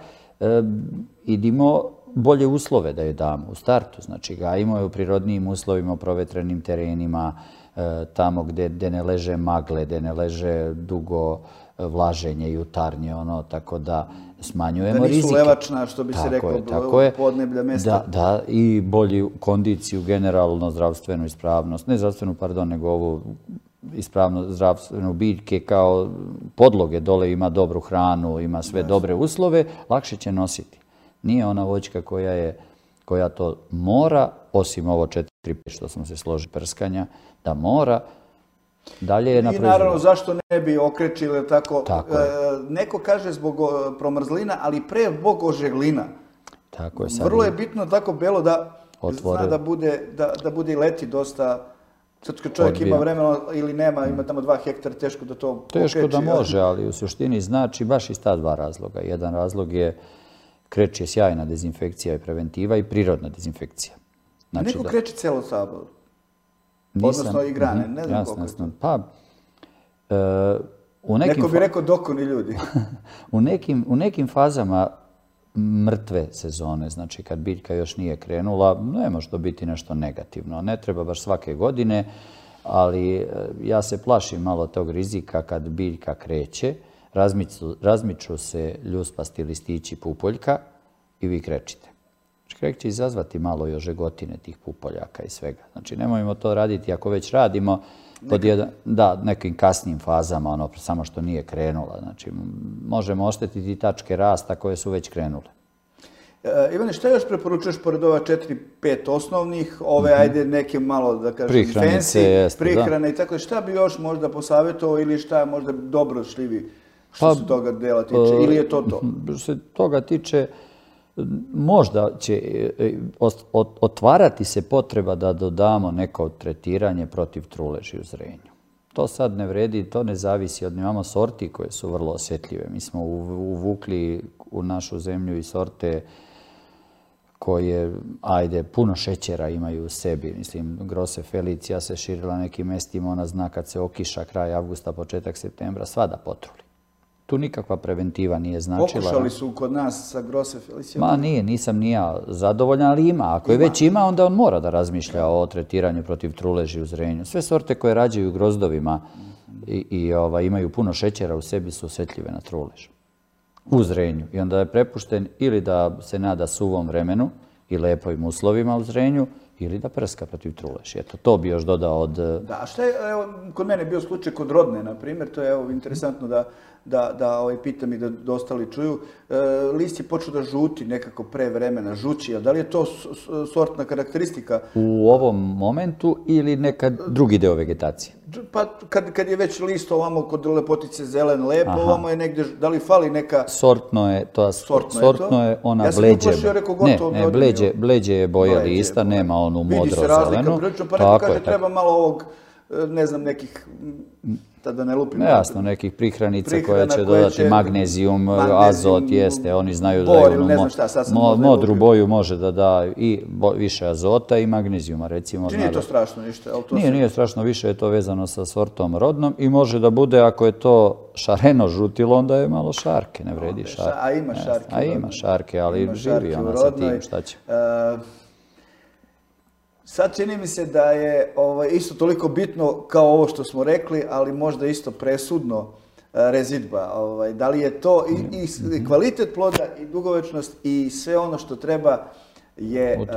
idimo bolje uslove da joj damo u startu. Znači, gajimo je u prirodnijim uslovima, u provetrenim terenima, tamo gde ne leže magle, gde ne leže dugo vlaženje i jutarnje, tako da smanjujemo rizike. Da nisu levačna, što bi se rekao, podneblja mesta. Da, i bolju kondiciju, generalno zdravstvenu ispravnost, ne zdravstvenu, pardon, nego ovu ispravno zdravstvenu biljke kao podloge, dole ima dobru hranu, ima sve dobre uslove, lakše će nositi. Nije ona voćka koja to mora, osim ovo 4-5 što smo se složili prskanja, da mora, dalje je na proizvodu. I naravno, zašto ne bi okrečili tako? Neko kaže zbog promrzlina, ali pre zbog ožeglina. Tako je. Vrlo je bitno tako belo da zna da bude i leti dosta. Sad kad čovjek ima vremena ili nema, ima tamo 2 hektara, teško da to okreći. Teško da može, ali u suštini znači baš iz ta 2 razloga. Jedan razlog je kreč je sjajna dezinfekcija i preventiva i prirodna dezinfekcija. Neko kreči celo sabor? Odnosno i grane, ne znam koliko je to. Pa, neko bi rekao dokoni ljudi. U nekim fazama mrtve sezone, znači kad biljka još nije krenula, ne može to biti nešto negativno. Ne treba baš svake godine, ali ja se plašim malo tog rizika kad biljka kreće, razmiču se ljuspasti listići pupoljka i vi krečite. Krek će izazvati malo i ožegotine tih pupoljaka i svega. Znači nemojmo to raditi ako već radimo pod nekim kasnim fazama, samo što nije krenula. Znači možemo oštetiti tačke rasta koje su već krenule. Ivane, šta još preporučuješ pored ova 4-5 osnovnih, ove ajde neke malo da kažem fancy, prihrane i tako, šta bi još možda posavjetovao ili šta možda dobro šljivi što se toga dela tiče ili je to to? Što se toga tiče, možda će otvarati se potreba da dodamo neko tretiranje protiv truleži u zrenju. To sad ne vredi, to ne zavisi od imamo sorti koje su vrlo osjetljive. Mi smo uvukli u našu zemlju i sorte koje, ajde, puno šećera imaju u sebi. Mislim, Grosse Felicia se širila nekim mestima, ona zna kad se okiša kraj avgusta, početak septembra, sva da potruli. Tu nikakva preventiva nije značila. Pokušali su kod nas sa Grosse Felicijom? Ma nije, nisam ni ja zadovoljan, ali ima. Ako je već ima, onda on mora da razmišlja o tretiranju protiv truleži u zrenju. Sve sorte koje rađaju grozdovima i imaju puno šećera u sebi su osjetljive na trulež u zrenju. I onda je prepušten ili da se nada suvom vremenu i lepojim uslovima u zrenju, ili da prska protiv truleži. Eto, to bi još dodao od... Da, a šta je, evo, kod mene je bio slučaj kod rodne, na primjer, to je evo, interesantno da pitam i da ostali čuju. List je počeo da žuti nekako pre vremena, žući, a da li je to sortna karakteristika? U ovom momentu ili nekad drugi deo vegetacije? Pa kad je već list ovamo kod lepotice zelen lepo, ovamo je negdje, da li fali neka... Sortno je ona bleđe. Ja sam uplašio, rekao gotovo. Ne, bleđe je boja lista, nema onu modro zelenu. Vidi se razlika prilično, pa neko kaže treba malo ovog, ne znam, nekih, da ne lupim. Jasno, nekih prihranica koje će dodati magnezijum, azot, jeste, oni znaju da je modru boju može da da i više azota i magnezijuma, recimo. Nije to strašno ništa? Nije strašno, više je to vezano sa sortom rodnom i može da bude, ako je to šareno žutilo, onda je malo šarke, ne vredi šarke. A ima šarke. A ima šarke, ali živi ona sa tim, šta će. Sad čini mi se da je isto toliko bitno kao ovo što smo rekli, ali možda isto presudno rezidba. Da li je to i kvalitet ploda i dugovečnost i sve ono što treba je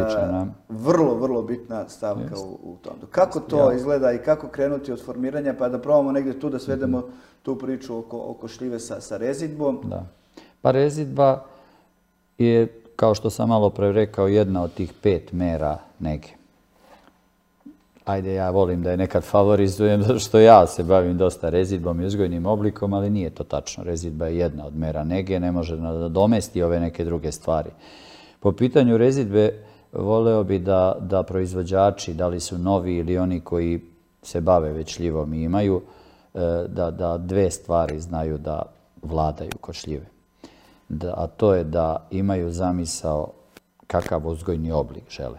vrlo, vrlo bitna stavka u tom. Kako to izgleda i kako krenuti od formiranja, pa da probamo negdje tu da svedemo tu priču oko šljive sa rezidbom? Da. Pa rezidba je, kao što sam malo pre rekao, jedna od tih 5 mera nege. Ajde, ja volim da je nekad favorizujem, zato što ja se bavim dosta rezidbom i uzgojnim oblikom, ali nije to tačno. Rezidba je jedna od mera nege, ne može da domesti ove neke druge stvari. Po pitanju rezidbe, voleo bi da proizvođači, da li su novi ili oni koji se bave već šljivom i imaju, da 2 stvari znaju da vladaju kod šljive. A to je da imaju zamisao kakav uzgojni oblik žele.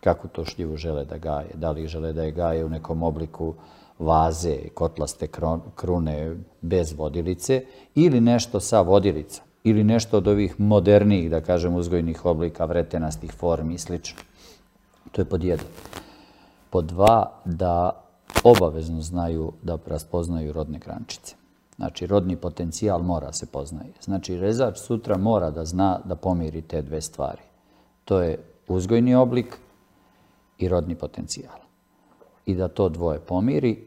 Kako to šljivu žele da gaje. Da li žele da je gaje u nekom obliku vaze, kotlaste krune bez vodilice ili nešto sa vodilica. Ili nešto od ovih modernijih, da kažem, uzgojnih oblika, vretenastih formi i sl. To je pod 1. Pod 2, da obavezno znaju da raspoznaju rodne grančice. Znači, rodni potencijal mora se poznaje. Znači, rezač sutra mora da zna da pomiri te 2 stvari. To je uzgojni oblik i rodni potencijal. I da to 2 pomiri,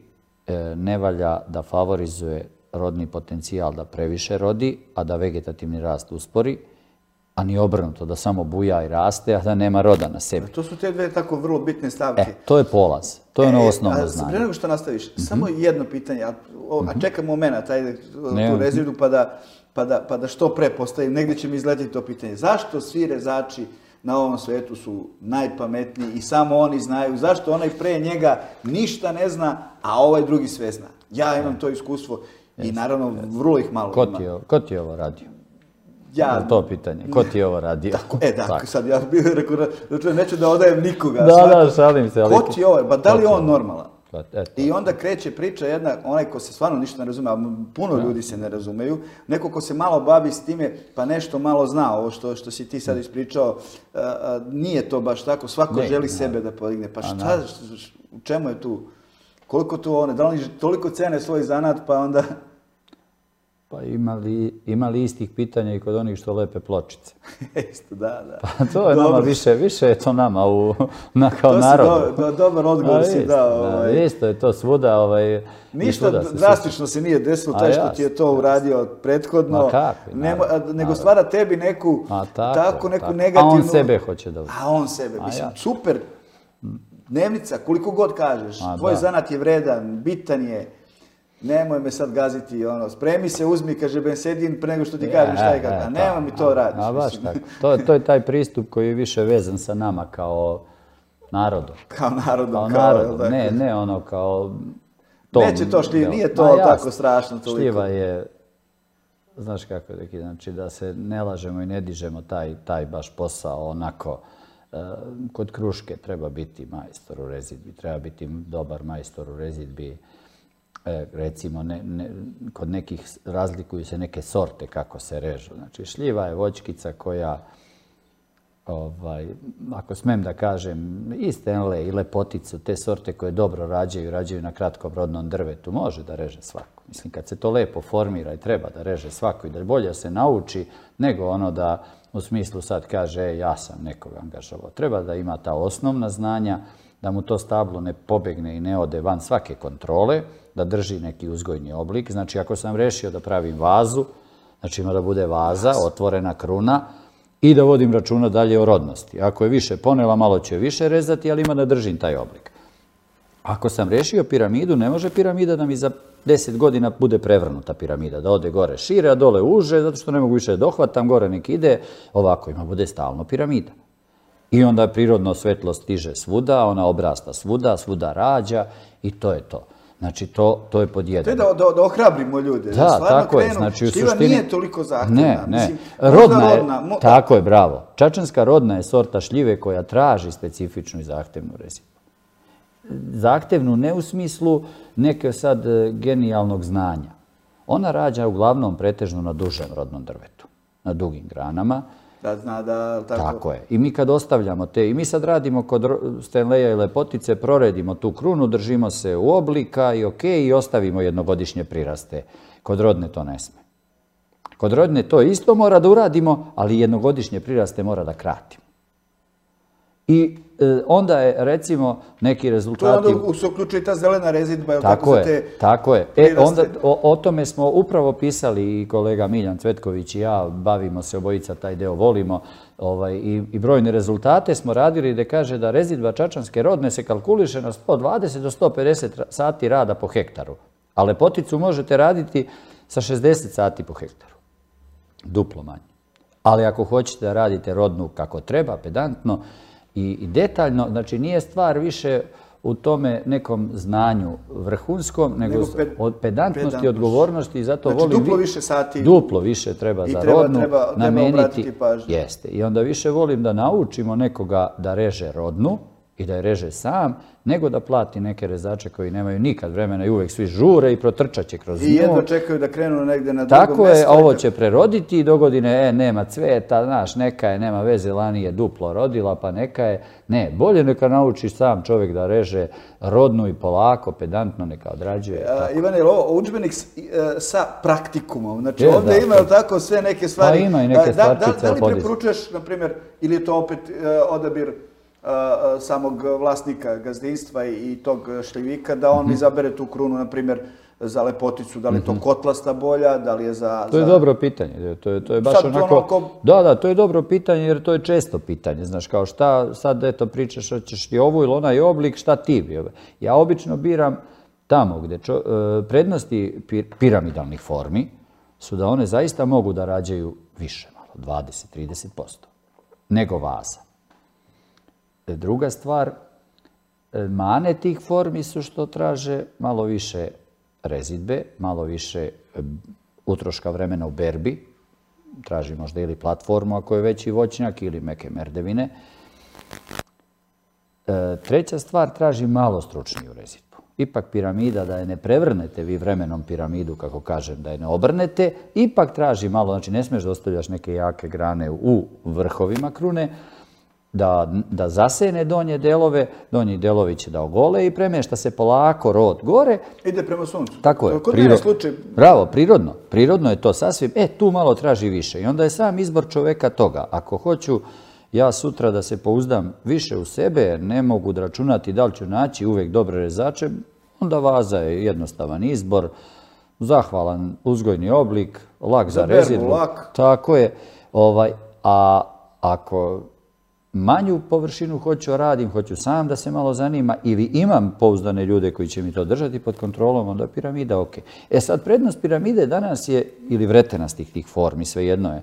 ne valja da favorizuje rodni potencijal da previše rodi, a da vegetativni rast uspori, a ni obrnuto, da samo buja i raste, a da nema roda na sebi. To su te 2 tako vrlo bitne stavke. To je polaz. To je ono osnovno znanje. Pre nego što nastaviš, samo jedno pitanje, a čekam moment, ajde tu rezidbu, pa da što pre postavim, negdje će mi izletiti to pitanje. Zašto svi rezači na ovom svetu su najpametniji i samo oni znaju? Zašto onaj pre njega ništa ne zna, a ovaj drugi sve zna? Ja imam to iskustvo i naravno vrlo ih malo ima. Ko ti je ovo radio? Ja. To pitanje. Ko ti je ovo radio? Sad ja bih rekao, neću da odajem nikoga. Da, šalim se. Ko ti je ovo? Pa da li je on normalan? I onda kreće priča jedna, onaj ko se stvarno ništa ne razume, a puno ljudi se ne razumeju, neko ko se malo bavi s time, pa nešto malo zna, ovo što si ti sad ispričao, nije to baš tako, svako želi sebe da podigne. Pa šta, u čemu je tu? Koliko tu one, da li toliko cene svoj zanat, pa onda... Pa ima li istih pitanja i kod onih što lepe pločice? Isto, da. Pa to je nama više je to nama kao narodu. To si dobar odgovor si dao. Isto je to svuda. Ništa drastično se nije desilo, taj što ti je to uradio prethodno. Nego stvara tebi neku negativnu... A on sebe hoće da... A on sebe, mislim, super. Dnevnica, koliko god kažeš, tvoj zanat je vredan, bitan je. Nemoj me sad gaziti, spremi se, uzmi, kaže Bensedin, pre nego što ti kažem šta je kako. A nemoj mi to radiš. A baš tako. To je taj pristup koji je više vezan sa nama kao narodom. Kao narodom. Ne ono kao... Neće to šljiva, nije to tako strašno toliko. Šljiva je znaš kako je, znači da se ne lažemo i ne dižemo taj baš posao onako. Kod kruške treba biti majstor u rezidbi, treba biti dobar majstor u rezidbi. Recimo, kod nekih razlikuju se neke sorte kako se režu. Znači, šljiva je voćkica koja, ako smem da kažem, i Stanley i lepoticu, te sorte koje dobro rađaju na kratkom rodnom drvetu, može da reže svako. Mislim, kad se to lepo formira i treba da reže svako i da bolje se nauči, nego ono da u smislu sad kaže, ja sam nekoga angažovao. Treba da ima ta osnovna znanja, da mu to stablo ne pobegne i ne ode van svake kontrole, da drži neki uzgojni oblik. Znači, ako sam rešio da pravim vazu, znači ima da bude vaza, otvorena kruna i da vodim računa dalje o rodnosti. Ako je više ponela, malo ću je više rezati, ali ima da držim taj oblik. Ako sam rešio piramidu, ne može piramida da mi za 10 godina bude prevrnuta piramida, da ode gore šire, a dole uže, zato što ne mogu više dohvatam, gore nek ide, ovako ima bude stalno piramida. I onda prirodno svetlost stiže svuda, ona obrasta svuda, svuda rađa i to je to. Znači, to je pod jedan. To je da ohrabrimo ljude. Da, tako je. Znači, u šljiva suštini nije toliko zahtevna. Ne. Rodna je, tako je, bravo. Čačanska rodna je sorta šljive koja traži specifičnu i zahtevnu rezidbu. Zahtevnu ne u smislu neke sad genijalnog znanja. Ona rađa uglavnom pretežno na dužem rodnom drvetu, na dugim granama. Da zna da... Tako je. I mi kad ostavljamo te, i mi sad radimo kod Stanleya i lepotice, proredimo tu krunu, držimo se u oblika i i ostavimo jednogodišnje priraste. Kod rodne to ne sme. Kod rodne to isto mora da uradimo, ali jednogodišnje priraste mora da kratimo. I onda je, recimo, neki rezultati... To onda se uključuje ta zelena rezidba, tako je. Onda o tome smo upravo pisali i kolega Miljan Cvetković i ja, bavimo se obojica, taj deo volimo, i brojne rezultate smo radili gde kaže da rezidba čačanske rodne se kalkuliše na 120 do 150 sati rada po hektaru, a lepoticu možete raditi sa 60 sati po hektaru. Duplo manje. Ali ako hoćete da radite rodnu kako treba, pedantno, i detaljno, znači nije stvar više u tome nekom znanju vrhunskom, nego od pedantnosti, odgovornosti i zato volim... Znači duplo više sati... Duplo više treba za rodnu nameniti. Obratiti pažnju. Jeste. I onda više volim da naučimo nekoga da reže rodnu i da je reže sam, nego da plati neke rezače koji nemaju nikad vremena i uvek svi žure i protrčat će kroz nju. I jedno čekaju da krenu negde na drugo mesto. Tako je, ovo će preroditi i dogodine, nema cveta, znaš, neka je, nema veze, lani je duplo rodila, pa neka je. Ne, bolje neka naučiš sam čovjek da reže rodnu i polako, pedantno neka odrađuje. Ivane, ovo udžbenik sa praktikumom. Znači ovdje ima tako sve neke stvari. Pa ima i neke stvarčice. Da li preporučuješ, na primjer, ili je to opet odabir samog vlasnika gazdinstva i tog šljivika, da on izabere tu krunu, na primjer, za lepoticu, da li je to kotlasta bolja, da li je za... To je dobro pitanje. To je baš onako... Da, to je dobro pitanje jer to je često pitanje. Znaš, kao šta sad, eto, pričaš, hoćeš ti ovu ili onaj oblik, šta ti bi? Ja obično biram tamo gde prednosti piramidalnih formi su da one zaista mogu da rađaju više, malo, 20-30%, nego vaza. Druga stvar, mane tih formi su što traže malo više rezidbe, malo više utroška vremena u berbi, traži možda ili platformu ako je veći voćnjak ili meke merdevine. Treća stvar, traži malo stručniju rezidbu. Ipak piramida, da je ne prevrnete vi vremenom piramidu, kako kažem, da je ne obrnete, ipak traži malo, znači ne smeš da ostavljaš neke jake grane u vrhovima krune, da zasene donje delove, donji delovi će da ogole i premešta se polako rod gore. Ide prema suncu. Tako je. Kod mene slučaj... Bravo, prirodno. Prirodno je to sasvim. Tu malo traži više. I onda je sam izbor čoveka toga. Ako hoću ja sutra da se pouzdam više u sebe, ne mogu da računati da li ću naći uvek dobre rezače, onda vaza je jednostavan izbor, zahvalan uzgojni oblik, lak za rezidbu. Tako je. A ako manju površinu hoću radim, hoću sam da se malo zanima ili imam pouzdane ljude koji će mi to držati pod kontrolom, onda piramida ok. Sad, prednost piramide danas je, ili vretenastih tih formi, svejedno je,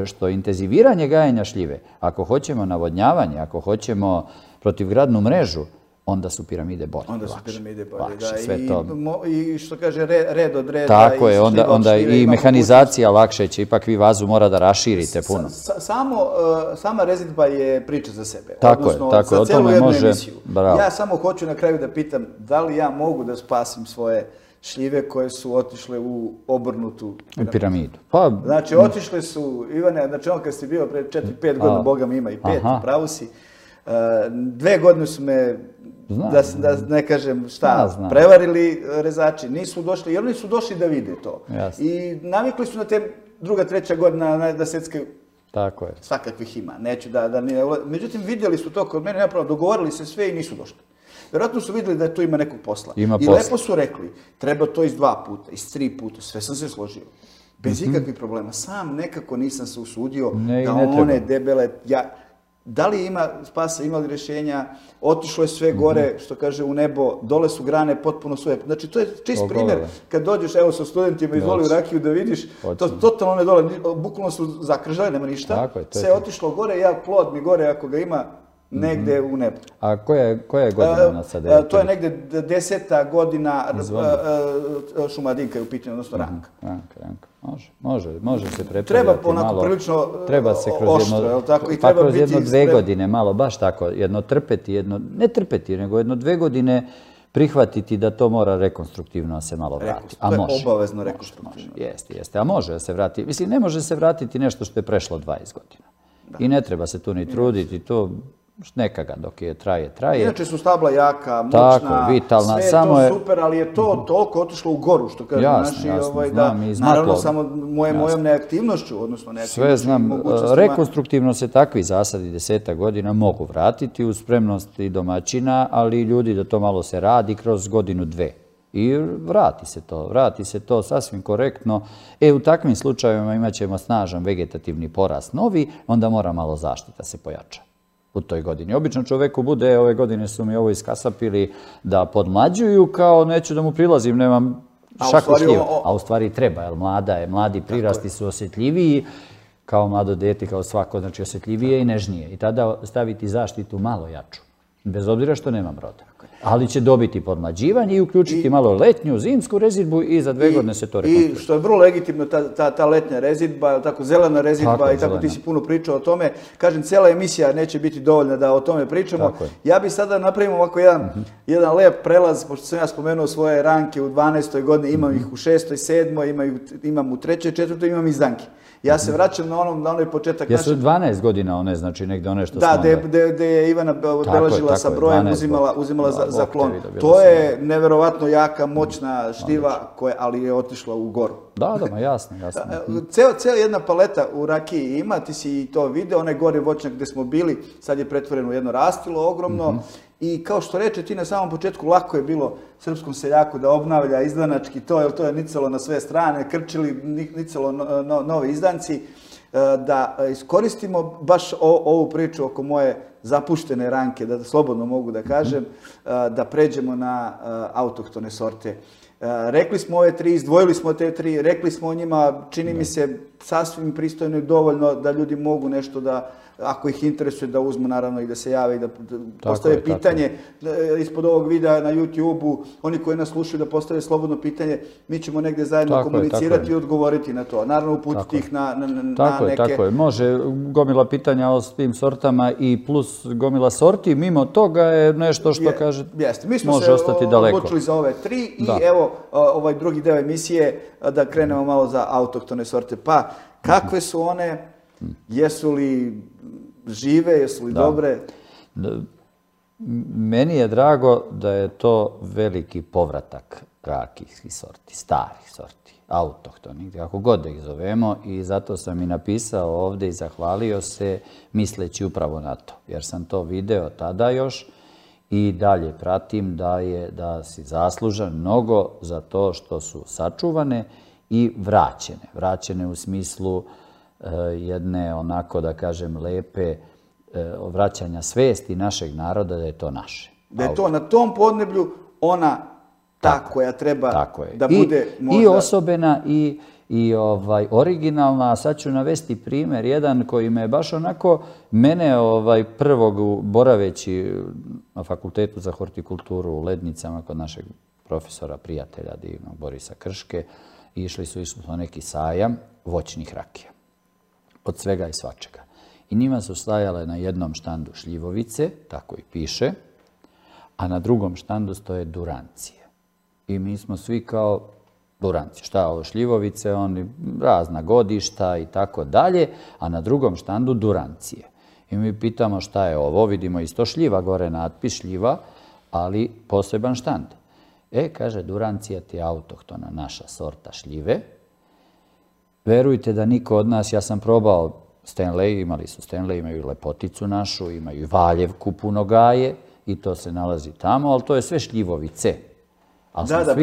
što intenziviranje gajenja šljive, ako hoćemo navodnjavanje, ako hoćemo protivgradnu mrežu, onda su piramide bolje. Onda su piramide bolje, lakše, da. sve to. I što kaže, red od reda. Tako je, onda i mehanizacija lakše će, ipak vi vazu mora da raširite puno. Sama rezidba je priča za sebe. Tako je, tako je, o tome može, bravo. Ja samo hoću na kraju da pitam da li ja mogu da spasim svoje šljive koje su otišle u obrnutu piramidu. Znači, otišle su, Ivane, znači on kad si bio pre 4-5 godina, Boga mi ima i 5, pravo si, 2 godine su me, da ne kažem šta, prevarili rezači, nisu došli, jer oni su došli da vide to. I navikli su na te druga, treća godina da secke. Tako je. Svakakvih ima, neću da nije. Međutim, vidjeli su to kod mene, napravo, dogovorili se sve i nisu došli. Vjerojatno su vidjeli da tu ima nekog posla. I lepo su rekli, treba to iz 2 puta, iz 3 puta, sve sam se složio. Bez ikakvih problema. Sam nekako nisam se usudio da one debele... Da li ima spasa, ima li rješenja, otišlo je sve gore, što kaže, u nebo, dole su grane potpuno svoje. Znači, to je čist primjer. Kad dođeš, evo, sa studentima izvoli u rakiju da vidiš, to totalno ne dole, bukvalno su zakržali, nema ništa. Sve je otišlo gore, plod mi gore, ako ga ima, negde u nebu. A koja je godina ona sada? To je negde 10. godina Šumadinka je u pitanju, odnosno Ranka. Može se prepravljati. Treba onako prilično oštro, je li tako? Pa kroz 1-2 godine, malo baš tako, ne trpeti, nego 1-2 godine prihvatiti da to mora rekonstruktivno se malo vratiti. To je obavezno rekonstruktivno. Jeste, a može se vratiti. Mislim, ne može se vratiti nešto što je prešlo 20 godina. I ne treba se tu ni truditi, to neka ga dok je traje. Inače su stabla jaka, moćna, vitalna, sve je to super, ali je to toliko otišlo u goru, što kažu naši. Naravno, samo mojom neaktivnošću, odnosno neaktivnošću. Sve znam, rekonstruktivno se takvi zasadi 10 godina mogu vratiti uz spremnost i domaćina, ali i ljudi da to malo se radi kroz 1-2. I vrati se to sasvim korektno. U takvim slučajevima imat ćemo snažan vegetativni porast novi, onda mora malo zaštita se pojača u toj godini. Obično čoveku bude, ove godine su mi ovo iskasapili da podmlađuju, kao neću da mu prilazim, nemam šaku šljiva. A u stvari treba, jer mladi prirasti su osjetljiviji, kao mlado dete, kao svako, znači osjetljivije i nežnije. I tada staviti zaštitu malo jaču, bez obzira što nemam roda. Ali će dobiti podmlađivanje i uključiti malo letnju, zimsku rezidbu i za 2 godine se to rekonstruira. I što je vrlo legitimno, ta letnja rezidba, tako zelena rezidba i tako ti si puno pričao o tome. Kažem, cijela emisija neće biti dovoljna da o tome pričamo. Ja bih sada napravimo ovako jedan lep prelaz, pošto sam ja spomenuo svoje ranke u 12. godini, imam ih u 6., 7., imam u 3., 4., imam izdanke. Ja se vraćam na onaj početak naše... Jesu 12 godina one, znači negde one što smo... Da, gde je Ivana beležila sa brojem, uzimala za klon. To je neverovatno jaka, moćna šljiva, ali je otišla u goru. Da, jasno. Cijela jedna paleta u rakiji ima, ti si i to video, onaj gori voćnjak gde smo bili, sad je pretvoreno u jedno rastilo ogromno. I kao što reče ti na samom početku, lako je bilo srpskom seljaku da obnavlja izdanački to, jer to je nicalo na sve strane, krčili, nicalo novi izdanci, da iskoristimo baš ovu priču oko moje zapuštene ranke, da slobodno mogu da kažem, da pređemo na autohtone sorte. Rekli smo ove 3, izdvojili smo te 3, rekli smo o njima, čini mi se sasvim pristojno i dovoljno da ljudi mogu nešto da, ako ih interesuje, da uzmu naravno i da se jave i da postave pitanje ispod ovog videa na YouTube-u. Oni koji nas slušaju da postave slobodno pitanje, mi ćemo negdje zajedno komunicirati i odgovoriti na to. Naravno uputiti ih na neke... Tako je, može gomila pitanja o tim sortama i plus gomila sorti. Mimo toga je nešto što kaže može ostati daleko. Mi smo se odlučili za ove 3 i evo ovaj drugi deo emisije da krenemo malo za autohtone sorte. Pa kakve su one, jesu li žive, jesu li dobre? Meni je drago da je to veliki povratak rakijskih sorti, starih sorti, autohtonih, kako god da ih zovemo, i zato sam i napisao ovdje i zahvalio se misleći upravo na to, jer sam to video tada još i dalje pratim da si zaslužan mnogo za to što su sačuvane i vraćene. Vraćene u smislu jedne, onako da kažem, lepe vraćanja svesti našeg naroda da je to naše. Da je to na tom podneblju ona ta koja treba da bude možda... I osobena i originalna, a sad ću navesti primjer jedan koji me baš onako, mene prvog boraveći na Fakultetu za hortikulturu u Lednicama kod našeg profesora, prijatelja divnog Borisa Krške, išli smo neki sajam voćnih rakija, od svega i svačega. I njima su stajale na jednom štandu šljivovice, tako i piše, a na drugom štandu stoje durancije. I mi smo svi kao duranci. Šta ovo šljivovice, oni razna godišta i tako dalje, a na drugom štandu durancije. I mi pitamo šta je ovo, vidimo isto šljiva, gore natpis šljiva, ali poseban štand. Kaže, durancija ti je autohtona naša sorta šljive. Verujte da niko od nas, ja sam probao Stanley, imali su Stanley, imaju lepoticu našu, imaju i Valjevku puno gaje i to se nalazi tamo, ali to je sve šljivovice. Da,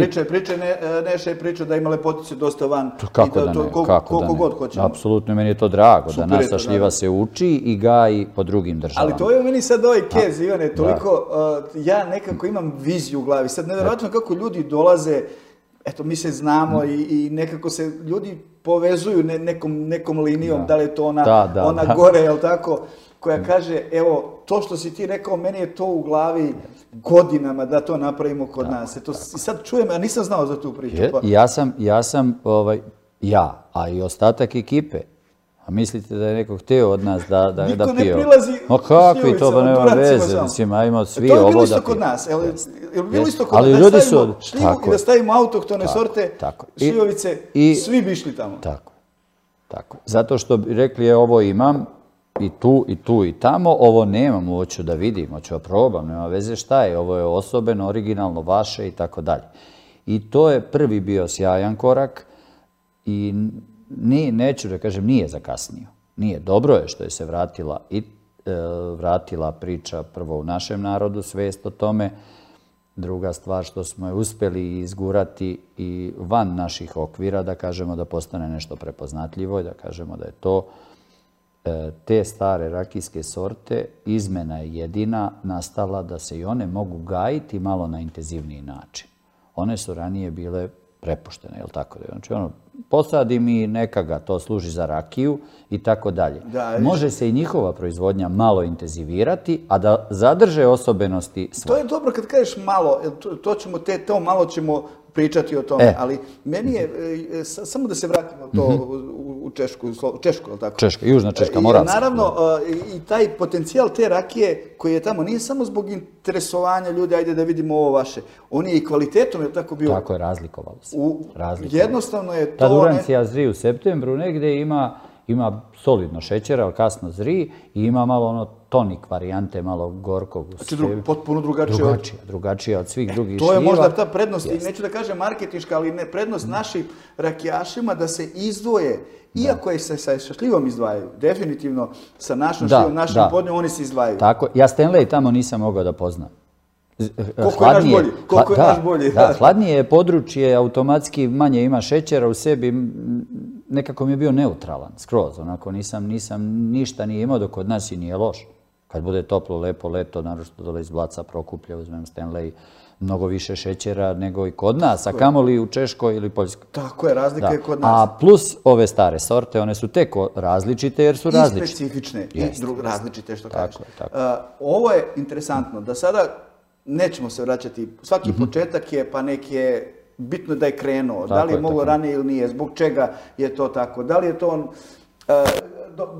Neša je pričao da ima lepotice dosta van. Kako da ne, koliko god hoćemo. Apsolutno, meni je to drago da naša šljiva se uči i gaji po drugim državama. Ali to je meni sad ovaj kez, Ivane, toliko, ja nekako imam viziju u glavi. Sad nevjerojatno kako ljudi dolaze, eto mi se znamo i nekako se ljudi povezuju nekom linijom, da li je to ona gore, jel tako, koja kaže, evo, to što si ti rekao, meni je to u glavi godinama da to napravimo kod nas. Eto, sad čujem, a nisam znao za tu priču. Ja, a i ostatak ekipe. A mislite da je neko htio od nas da pije? Niko ne prilazi ma kakvi, to pa nema veze, mislim, ajmo svi ovo da pije. To je bilo isto kod nas, je bilo isto kod nas, da stavimo šljivu i da stavimo autohtone sorte, šljivovice, svi bi išli tamo. Tako. Zato što bi rekli, ovo imam, i tu i tamo, ovo nemam, hoću da vidim, hoću da probam, nema veze šta je, ovo je osobeno, originalno, vaše i tako dalje. I to je prvi bio sjajan korak i neću da kažem, nije zakasnio. Nije, dobro je što je se vratila priča prvo u našem narodu, svest o tome. Druga stvar što smo je uspeli izgurati i van naših okvira, da kažemo da postane nešto prepoznatljivo i da kažemo da je to te stare rakijske sorte, izmena je jedina nastala da se i one mogu gajiti malo na intenzivniji način. One su ranije bile prepuštene, je li tako? Znači, posadim i neka ga to služi za rakiju i tako dalje. Može se i njihova proizvodnja malo intenzivirati, a da zadrže osobenosti svoje. To je dobro kad kažeš malo, to malo ćemo pričati o tome, ali meni je, samo da se vratimo to u Češku, je li tako? Češka, Južna Češka, Moravska. Naravno, i taj potencijal te rakije koji je tamo nije samo zbog interesovanja ljudi, ajde da vidimo ovo vaše, on je i kvalitetom, je li tako bio? Tako je, razlikovalo se. Jednostavno je to... Ta durancija zri u septembru, negde ima solidno šećera, ali kasno zri i ima malo tonik varijante, malo gorkog. Znači potpuno drugačija od svih drugih šljiva. To je možda ta prednost, i neću da kažem marketinška, ali prednost našim rakijašima da se izdvoje. Iako je sa šljivom izdvajaju, definitivno sa našom šljivom, našim podnjom, oni se izdvajaju. Tako, ja Stanley tamo nisam mogao da poznam. Koliko je naš bolji. Da, hladnije je područje, automatski manje ima šećera u sebi, nekako mi je bio neutralan, skroz, onako nisam ništa nije imao, dok kod nas i nije loš. Kad bude toplo, lepo leto, naročito dole iz Blaca, Prokuplja, uzmem Stanley, mnogo više šećera nego i kod nas, a kamoli u Češkoj ili Poljskoj. Tako je, razlika je kod nas. A plus ove stare sorte, one su tek različite jer su različite. I specifične, i različite, što kažeš. Ovo je interesantno, da sada nećemo se vraćati, svaki početak je, pa je bitno da je krenuo, da li je moglo ranije ili nije, zbog čega je to tako, da li je to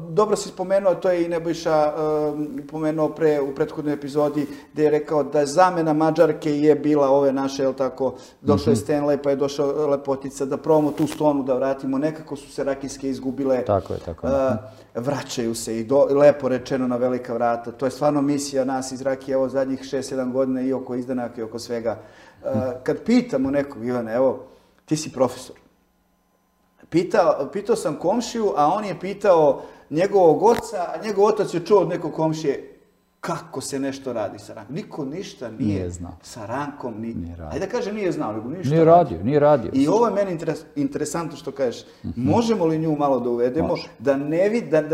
dobro si spomenuo, to je i Nebojša pomenuo u prethodnoj epizodi, gdje je rekao da zamena Mađarke je bila ove naše, jel tako, došao je Stanley, pa je došao Lepotica, da probamo tu stonu da vratimo, nekako su se rakijske izgubile, vraćaju se i lepo rečeno na velika vrata. To je stvarno misija nas iz Rakije, evo zadnjih 6-7 godina i oko izdanaka i oko svega. Kad pitamo nekog, Ivane, evo, ti si profesor, pitao sam komšiju, a on je pitao njegovog oca, a njegov otac je čuo od nekog komšije kako se nešto radi sa rankom. Niko ništa nije znao. Sa rankom, ajde da kaže nije znao, nego ništa nije radio. I ovo je meni interesantno što kažeš. Možemo li nju malo da uvedemo, da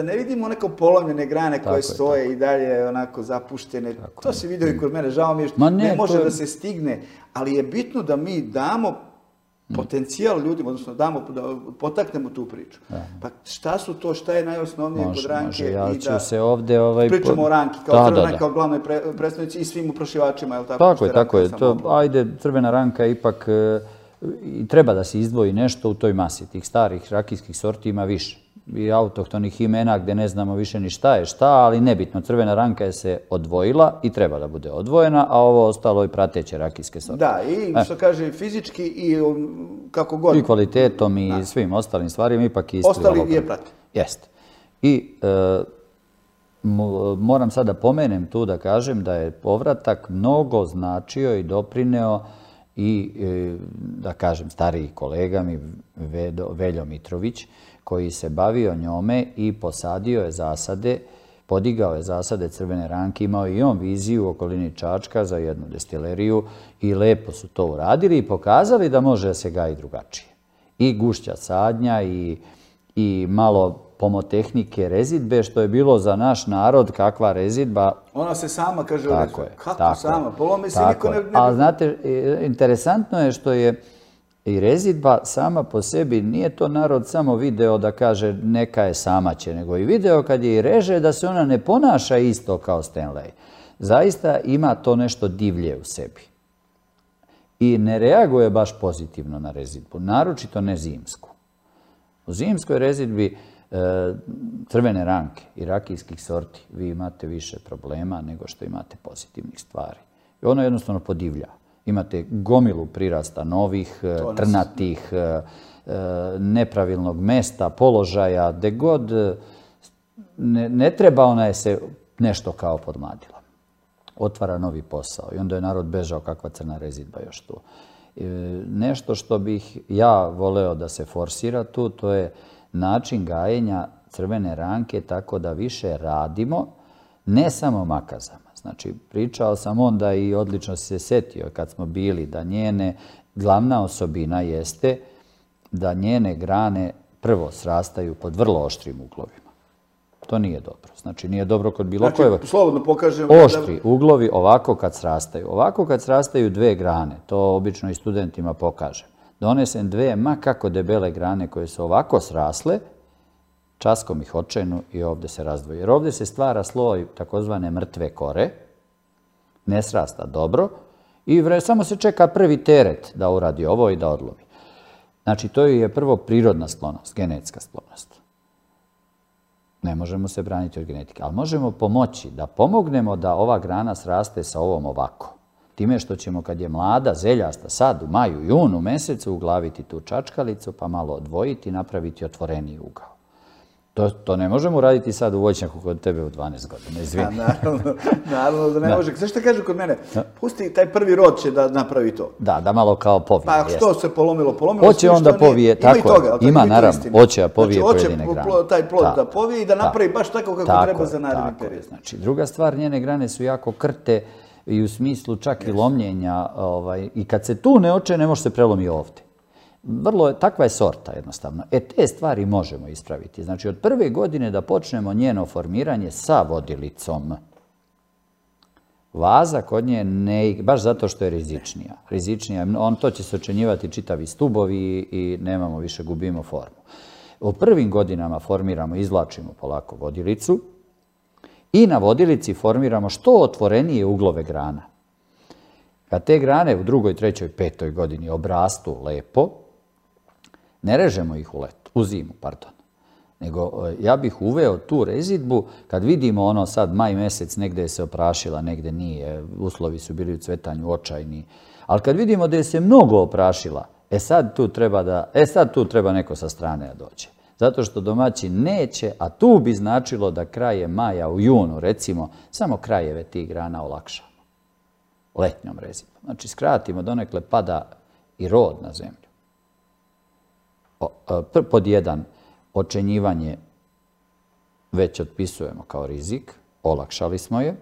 ne vidimo neko polomljene grane koje stoje i dalje onako zapuštene. To se vidio i kod mene, žao mi je što ne može da se stigne, ali je bitno da mi damo potencijal ljudima, odnosno da potaknemo tu priču. Pa šta su to, šta je najosnovnije kod Ranke? Ja ću se ovdje... Pričamo o Ranki, kao Crvena Ranka, kao glavnoj predstavnici i svim uprašivačima, je li tako? Tako je. Ajde, Crvena Ranka ipak treba da se izdvoji nešto u toj masi. Tih starih rakijskih sorti ima više. I autohtonih imena gdje ne znamo više ni šta je šta, ali nebitno. Crvena Ranka je se odvojila i treba da bude odvojena, a ovo ostalo i prateće rakijske sorte. Da, i što kaže fizički i kako god. I kvalitetom i svim ostalim stvarima ipak isti. Ostali je prate. Jeste. I moram sad da pomenem tu da kažem da je povratak mnogo značio i doprineo i, da kažem, stariji kolega mi, Veljo Mitrović, koji se bavio njome i posadio je zasade, podigao je zasade Crvene Ranke, imao i on viziju u okolini Čačka za jednu destileriju i lepo su to uradili i pokazali da može se gaji drugačije. I gušća sadnja i malo pomotehnike rezidbe, što je bilo za naš narod kakva rezidba. Ona se sama, kaže, kako sama? Polome se niko ne... Ali znate, interesantno je što je i rezidba sama po sebi, nije to narod samo video da kaže neka je samaće, nego i video kad je i reže da se ona ne ponaša isto kao Stanley. Zaista ima to nešto divlje u sebi. I ne reaguje baš pozitivno na rezidbu, naročito ne zimsku. U zimskoj rezidbi Crvene Ranke i rakijskih sorti vi imate više problema nego što imate pozitivnih stvari. I ono jednostavno podivlja. Imate gomilu prirasta novih, trnatih, nepravilnog mesta, položaja, gde god ne treba, ona je se nešto kao podmladila. Otvara novi posao i onda je narod bežao kakva crna rezidba još tu. Nešto što bih ja voleo da se forsira tu, to je način gajenja Crvene Ranke tako da više radimo, ne samo makazama. Znači, pričao sam onda i odlično se setio kad smo bili da njene glavna osobina jeste da njene grane prvo srastaju pod vrlo oštrim uglovima. To nije dobro. Znači, nije dobro kod bilo koje... Znači, slobodno pokažemo... Oštri uglovi ovako kad srastaju. Ovako kad srastaju dve grane, to obično i studentima pokažem. Donesem dve ma kako debele grane koje su ovako srasle, časkom ih očenu i ovdje se razdvoji. Jer ovdje se stvara sloj takozvane mrtve kore, ne srasta dobro i samo se čeka prvi teret da uradi ovo i da odlovi. Znači, to je prvo prirodna sklonost, genetska sklonost. Ne možemo se braniti od genetike, ali možemo pomoći da pomognemo da ova grana sraste sa ovom ovako. Time što ćemo kad je mlada, zeljasta, sad u maju, junu mesecu uglaviti tu čačkalicu pa malo odvojiti i napraviti otvoreniji ugao. To ne možemo uraditi sad u voćnjaku kod tebe u 12 godina, izvini. Naravno da ne može. Znaš šta kaže kod mene? Pusti, taj prvi rod će da napravi to. Da malo kao povije. Pa što se polomilo? Hoće onda povije, tako ima naravno, hoće da povije pojedine grane. Hoće taj plod da povije i da napravi baš tako kako treba za naredni period. Znači, druga stvar, njene grane su jako krte i u smislu čak i lomljenja. I kad se tu ne oče, ne može se prelomi ovdje. Takva je sorta jednostavno. Te stvari možemo ispraviti. Znači, od prve godine da počnemo njeno formiranje sa vodilicom. Vaza kod nje ne, baš zato što je rizičnija. To će se očenjivati čitavi stubovi i nemamo više, gubimo formu. U prvim godinama formiramo, izvlačimo polako vodilicu i na vodilici formiramo što otvorenije uglove grana. Kad te grane u drugoj, trećoj, petoj godini obrastu lepo, ne režemo ih u zimu, nego ja bih uveo tu rezidbu kad vidimo ono sad maj mesec negde je se oprašila, negde nije, uslovi su bili u cvetanju očajni, ali kad vidimo da je se mnogo oprašila, sad tu treba neko sa strane da dođe. Zato što domaćin neće, a tu bi značilo da kraje maja u junu, recimo, samo krajeve tih grana olakšamo. Letnjom rezidbom. Znači, skratimo, donekle pada i rod na zemlju. Pod jedan, očenjivanje već otpisujemo kao rizik, olakšali smo je.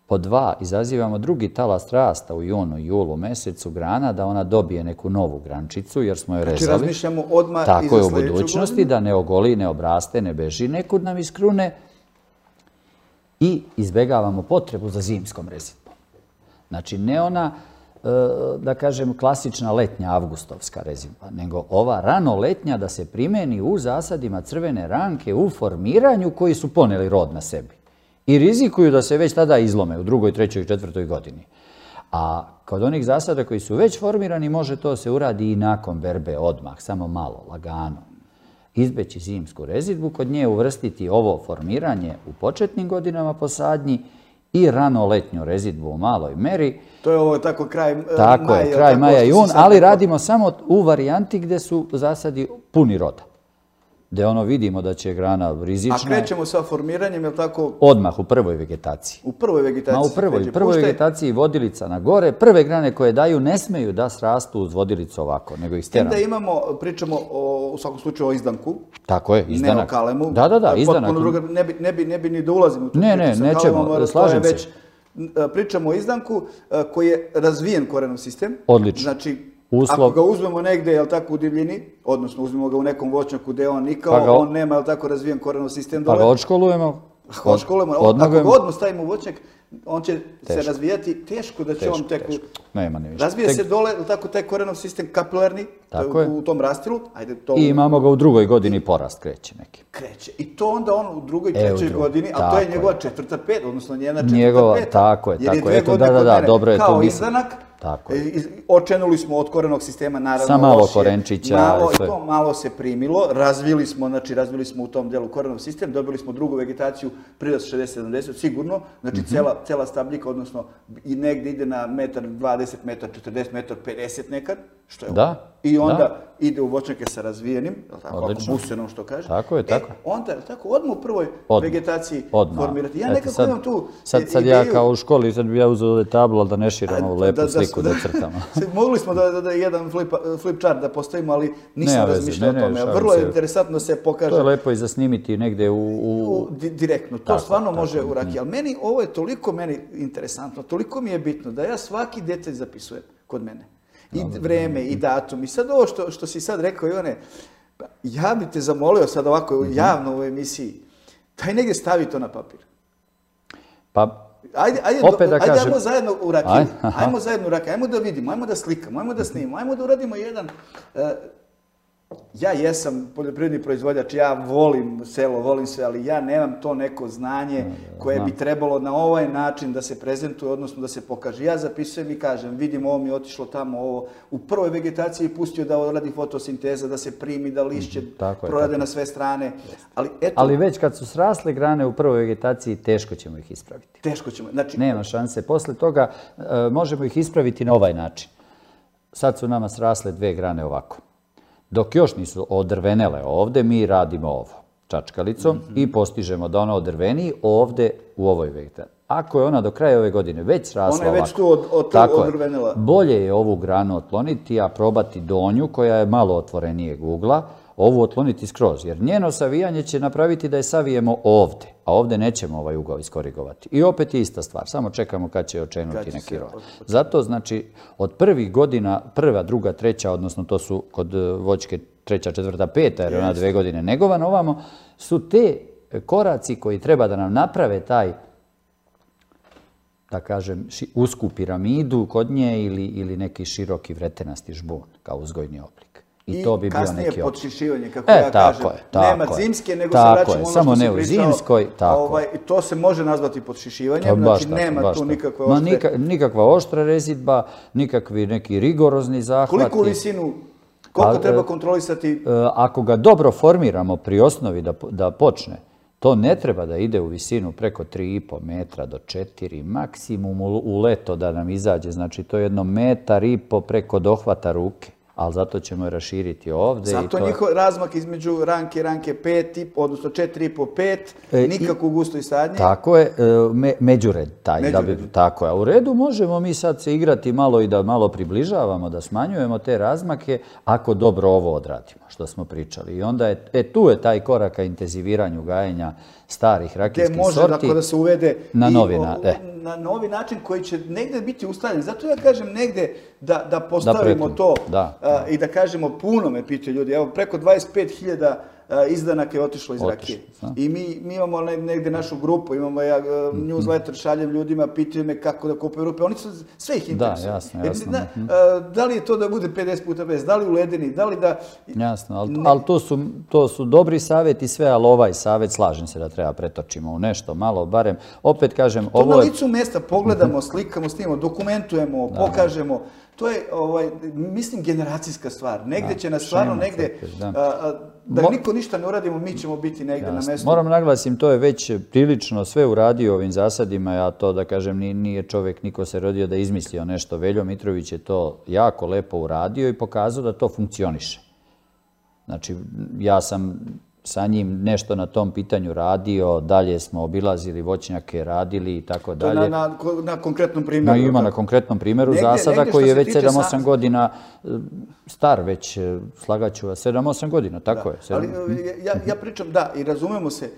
Pod dva, izazivamo drugi talas rasta u junu i julu mesecu grana da ona dobije neku novu grančicu jer smo je rezali. Znači, razmišljamo odmah i za sljedeću godinu. Tako je u budućnosti, da ne ogoli, ne obraste, ne beži nekud nam iz krune i izbegavamo potrebu za zimskom rezidbom. Znači, ne ona da kažem, klasična letnja avgustovska rezidba, nego ova rano letnja da se primeni u zasadima crvene ranke u formiranju koji su poneli rod na sebi. I rizikuju da se već tada izlome u drugoj, trećoj i četvrtoj godini. A kod onih zasada koji su već formirani, može to se uradi i nakon berbe odmah, samo malo, lagano. Izbeći zimsku rezidbu, kod nje uvrstiti ovo formiranje u početnim godinama po sadnji i rano letnju rezidbu u maloj meri. To je ovo tako kraj maja. Tako je, kraj maja i jun, ali radimo samo u varijanti gde su zasadi puni roda. Gde vidimo da će grana rizična. A krećemo sa formiranjem, je li tako? Odmah, u prvoj vegetaciji. U prvoj vegetaciji? U prvoj vegetaciji vodilica na gore. Prve grane koje daju ne smeju da srastu uz vodilicu ovako, nego ih steramo. Onda pričamo u svakom slučaju o izdanku. Tako je, izdanak. Ne o kalemu. Da, izdanak. Ne bi ni da ulazim u tu priču sa kalemom. Ne, nećemo, slažem se. Pričamo o izdanku koji je razvijen korenov sistem. Odlično. Znači, ako ga uzmemo negde, je li tako, u divljini, odnosno uzmemo ga u nekom voćnjaku gde on nikao, on nema, je li tako, razvijen korenov sistem dole. Pa ga odškolujemo. Ako ga odmah stavimo u voćnjak, on će se razvijati, teško da će on tek... Razvije se dole, je li tako, taj korenov sistem kapilarni, u tom rastilu. I imamo ga u drugoj godini, porast kreće neki. Kreće. I to onda on u drugoj, trećoj godini, a to je njegova četvrta pet, odnosno njena četvrta peta. Tako je. Jer je 2 godine kod mene kao izdanak. Očenuli smo od korenog sistema, naravno, sa malo korenčića. Malo se primilo, razvili smo u tom delu korenov sistem, dobili smo drugu vegetaciju, prirast 60-70, sigurno, znači cela stabljika, odnosno i negde ide na metar 20, metar 40, metar 50 nekad, što je ovo. I onda ide u voćnjake sa razvijenim, ako busenom što kaže. Tako je, tako. Onda, odmah u prvoj vegetaciji formirati. Ja nekako imam tu ideju... Sad ja kao u školi, sad bi ja uzeo tablu, ali da ne širam ovu lepu sliku da crtamo. Mogli smo da jedan flip chart da postavimo, ali nisam razmišljao o tome. Vrlo je interesantno da se pokaže. To je lepo i za snimiti negde direktno. To stvarno može u rakiji. Ali meni, ovo je toliko meni interesantno, toliko mi je bitno da ja svaki detalj zapisujem kod mene. I vreme, i datum. I sad ovo što si sad rekao, Ivane, ja bi te zamolio sad ovako javno u ovoj emisiji, daj negdje stavi to na papir. Pa, Ajde, ajmo zajedno u rakiju. Ajmo da vidimo, ajmo da slikamo, ajmo da snimamo, ajmo da uradimo jedan... Ja jesam poljoprivredni proizvođač, ja volim selo, volim sve, ali ja nemam to neko znanje koje bi trebalo na ovaj način da se prezentuje, odnosno da se pokaže. Ja zapisujem i kažem, vidim ovo mi je otišlo tamo, ovo u prvoj vegetaciji pustio da radi fotosinteza, da se primi, da lišće prorade na sve strane. Ali već kad su srasle grane u prvoj vegetaciji, teško ćemo ih ispraviti. Teško ćemo. Nema šanse. Posle toga možemo ih ispraviti na ovaj način. Sad su nama srasle 2 grane ovako. Dok još nisu odrvenele ovde, mi radimo ovo čačkalicom i postižemo da ona odrveni ovde u ovoj vegetaciji. Ako je ona do kraja ove godine već srasla ovako, ona je već tu odrvenela. Bolje je ovu granu otkloniti, a probati donju koja je malo otvorenijeg ugla, ovu otkloniti skroz, jer njeno savijanje će napraviti da je savijemo ovde, a ovde nećemo ovaj ugao iskorigovati. I opet je ista stvar, samo čekamo kad će očenuti neki rod. Zato, znači, od prvih godina, prva, druga, treća, odnosno to su kod voćke treća, četvrta, peta, jer ona 2 godine negovana ovamo, su te koraci koji treba da nam naprave taj, da kažem, usku piramidu kod nje ili neki široki vretenasti žbun kao uzgojni oblik. I kasnije podšišivanje, kako ja kažem. Nema zimske, nego se vraćamo ono što si pričao. To se može nazvati podšišivanjem, znači nema tu nikakve oštre... Nikakva oštra rezidba, nikakvi neki rigorozni zahvati. Koliko visinu, koliko treba kontrolisati? Ako ga dobro formiramo pri osnovi da počne, to ne treba da ide u visinu preko 3,5 metra do 4, maksimum u leto da nam izađe. Znači, to je 1,5 metar preko dohvata ruke. Ali zato ćemo je raširiti ovde. Zato njihov razmak između ranke i ranke 5, odnosno 4,5, 5, nikakvu gusto i sadnje. Tako je, međured taj. Tako je. A u redu možemo mi sad se igrati malo i da malo približavamo, da smanjujemo te razmake, ako dobro ovo odradimo, što smo pričali. I onda tu je taj korak ka intenziviranju gajenja starih rakijskih sorti. Gde može da se uvede na novi način koji će negde biti ustaljen. Zato ja kažem negde da postavimo to i da kažemo, puno me pitaju ljudi, evo preko 25.000 izdanaka je otišlo iz rakije. I mi imamo negde našu grupu, imamo newsletter, šaljem ljudima, pitaju me kako da kupuju rupe. Oni su, sve ih interesuje. Da, jasno. Da li je to da bude 50 puta bez, da li u ledini, da li da... Jasno, ali to su dobri savjeti sve, ali ovaj savjet slažem se da treba pretočimo u nešto malo, barem, opet kažem, to na licu mesta pogledamo, slikamo, snimamo, dokumentujemo, pokažemo. To je, mislim, generacijska stvar. Negde će nas stvarno, negde, da niko ništa ne uradimo, mi ćemo biti negde na mestu. Moram naglasim, to je već prilično sve uradio ovim zasadima, ja to da kažem, nije čovjek, niko se rodio da izmislio nešto. Veljo Mitrović je to jako lepo uradio i pokazao da to funkcioniše. Znači, ja sam sa njim nešto na tom pitanju radio, dalje smo obilazili voćnjake, radili i tako dalje. To je na konkretnom primjeru. Ima na konkretnom primjeru zasada koji je već 7-8 godina star već, slagaću vas, 7-8 godina, tako je. Ali ja pričam, da, i razumemo se,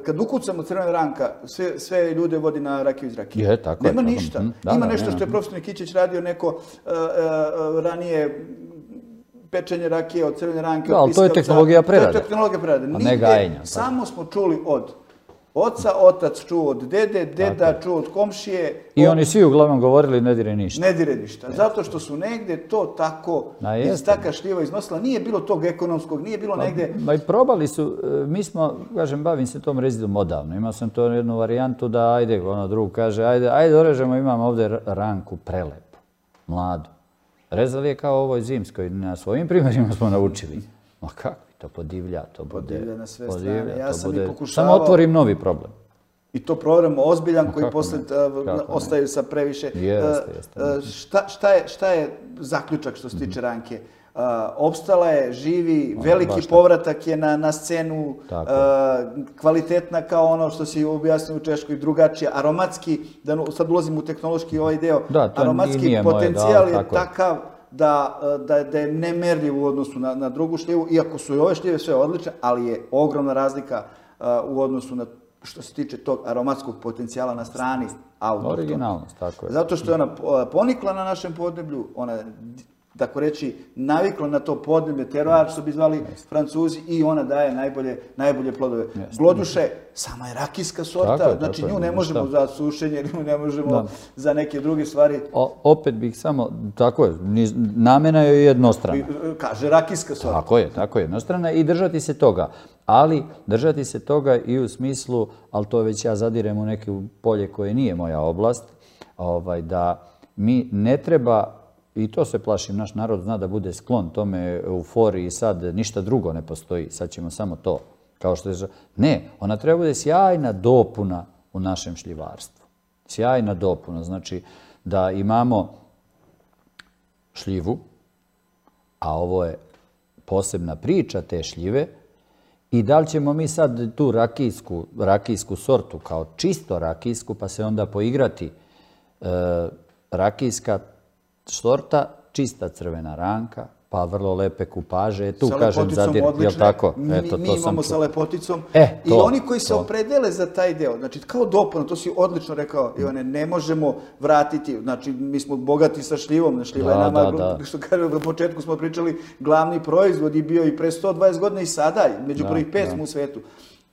kad ukucamo Crvena ranka, sve ljude vodi na rakiju iz rakije. Je, tako je. Nema ništa. Ima nešto što je profesor Nikićić radio, neko ranije pečenje rakije od Crvene ranke. Da, ali to je tehnologija prerade. To je tehnologija prerade. A ne gajenja. Samo smo čuli od oca, otac čuo od dede, deda čuo od komšije. I oni svi uglavnom govorili ne dire ništa. Ne dire ništa. Zato što su negde to tako iz taka šljiva iznosila. Nije bilo tog ekonomskog, nije bilo negde... Ma i probali su, mi smo, kažem, bavim se tom rezidom odavno. Imao sam to jednu varijantu da, ajde, ono drug kaže, ajde, orežemo, imamo ovdje ranku prelepu, mladu. Rezali je kao ovoj zimskoj, na svojim primjerima smo naučili. Ma kako to podivlja, to bude... Podivlja na sve strane. Ja sam i pokušavao... Samo otvorim novi problem. I to program ozbiljan koji posle ostaju sa previše... Šta je zaključak što se tiče ranke? Opstala je, živi, veliki povratak je na scenu, kvalitetna kao ono što si objasnio u Češkoj, drugačija, aromatski, sad ulazim u tehnološki ovaj deo, aromatski potencijal je takav da je nemerljiv u odnosu na drugu šljivu, iako su i ove šljive sve odlične, ali je ogromna razlika u odnosu na što se tiče tog aromatskog potencijala na strani autohtona. Originalnost, tako je. Zato što je ona ponikla na našem podneblju, ona tako reći, navikla na to podneblje, teroar, što bi zvali Francuzi, i ona daje najbolje plodove. Gloduše, sama je rakijska sorta, znači nju ne možemo za sušenje, nju ne možemo za neke druge stvari. Opet bih samo, tako je, namena je jednostrana. Kaže rakijska sorta. Tako je, jednostrana i držati se toga. Ali držati se toga i u smislu, ali to već ja zadirem u neke polje koje nije moja oblast, da mi ne treba, i to se plašim, naš narod zna da bude sklon tome, euforiji, sad ništa drugo ne postoji, sad ćemo samo to. Kao što je... Ne, ona treba bude sjajna dopuna u našem šljivarstvu. Sjajna dopuna, znači da imamo šljivu, a ovo je posebna priča te šljive, i da li ćemo mi sad tu rakijsku sortu kao čisto rakijsku, pa se onda poigrati rakijska sorta, čista crvena ranka, pa vrlo lepe kupaže. Tu kažem zadir, jel tako? Mi imamo sa lepoticom. I oni koji se opredele za taj deo, znači kao dopuna, to si odlično rekao, Ivane, ne možemo vratiti, znači mi smo bogati sa šljivom, šljiva je nama, što kažem, na početku smo pričali, glavni proizvod je bio i pre 120 godina i sada, među prvih 5 smo u svetu.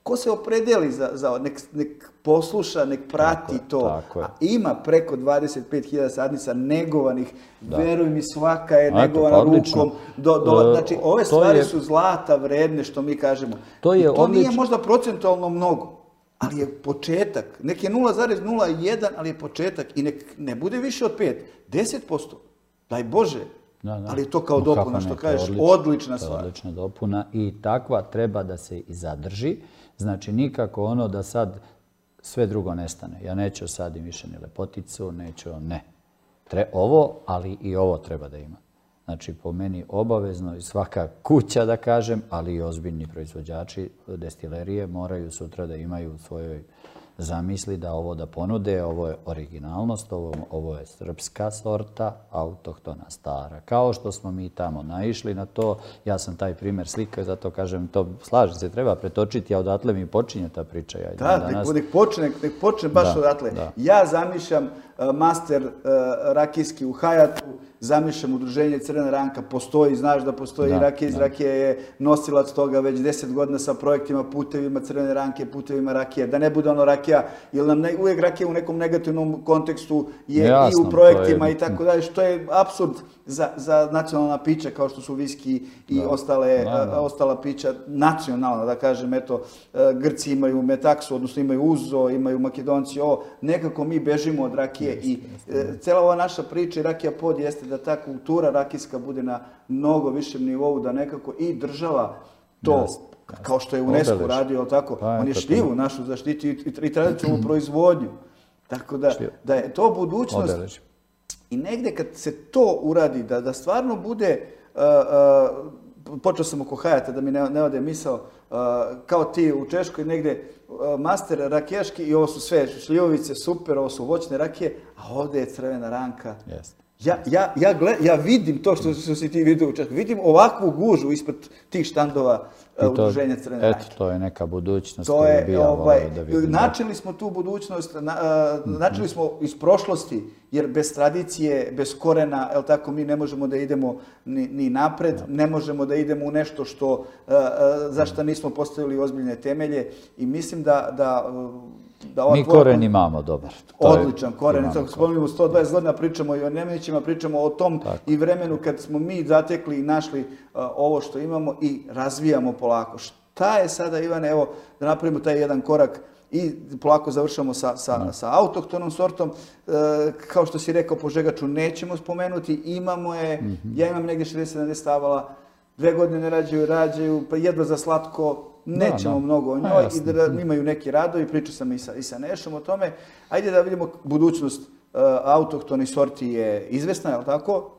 Ko se opredeli za nek posluša, nek prati to. A ima preko 25.000 sadnica negovanih, veruj mi, svaka je negovana rukom. Znači, ove stvari su zlata vredne, što mi kažemo. To nije možda procentualno mnogo, ali je početak. Nek je 0,01, ali je početak. I nek ne bude više od 5, 10%. Daj Bože. Ali je to kao dopuna, što kažeš, odlična stvar. Odlična dopuna i takva treba da se i zadrži. Znači, nikako ono da sad sve drugo nestane. Ja neću sad i više ni lepoticu, neću, ne. Ovo, ali i ovo treba da ima. Znači, po meni obavezno i svaka kuća, da kažem, ali i ozbiljni proizvođači destilerije moraju sutra da imaju u svojoj zamisli da ovo da ponude, ovo je originalnost, ovo je srpska sorta, autohtona stara. Kao što smo mi tamo naišli na to, ja sam taj primjer slikao, zato kažem, to slažem se, treba pretočiti, a odatle mi počinje ta priča. Da, nek počne baš odatle. Ja zamišljam master rakijski u Hajatu, zamišljam udruženje Crvena ranka, postoji, znaš da postoji rakija iz rakije je nosilac toga već 10 godina sa projektima, putevima Crvene ranke, putevima rakije, da ne bude ono rakija, jer nam uvijek rakija u nekom negativnom kontekstu je i u projektima i tako dalje, što je apsurd za nacionalna pića kao što su viski i ostala pića nacionalna, da kažem, eto, Grci imaju metaksu, odnosno imaju uzo, imaju Makedonci, nekako mi bežimo od rakije i cela ova naša priča i rakija pod jeste da ta kultura rakijska bude na mnogo višem nivou, da nekako i država to, kao što je UNESCO radio, tako, on je šljivu našu zaštiti i tradicionalnu proizvodnju. Tako da je to budućnost. I negde kad se to uradi, da stvarno bude, počeo sam oko Hajata da mi ne ode misao, kao ti u Češkoj negde master rakijaški i ovo su sve šljivovice, super, ovo su voćne rakije, a ovde je Crvena ranka. Ja vidim to što si ti vidio u Češkoj, vidim ovakvu gužu ispred tih štandova udruženja Crvene ranke. Eto, to je neka budućnost koju bi ja volio da vidim. Načeli smo tu budućnost, načeli smo iz prošlosti, jer bez tradicije, bez korena, mi ne možemo da idemo ni napred, ne možemo da idemo u nešto za što nismo postavili ozbiljne temelje i mislim da mi koren imamo dobar. Odličan koren. Spominjamo 120 godina, pričamo i o Nemanićima, pričamo o tom i vremenu kad smo mi zatekli i našli ovo što imamo i razvijamo polako. Šta je sada, Ivane, evo da napravimo taj jedan korak i polako završamo sa autohtonom sortom. Kao što si rekao, Požegaču nećemo spomenuti, imamo je, ja imam negdje 60-70 stavala, 2 godine ne rađaju, pa jedva za slatko, nećemo mnogo o njoj i da imaju neki radovi, pričao sam i sa Nešom o tome. Ajde da vidimo budućnost autohtonih sorti je izvesna, je li tako?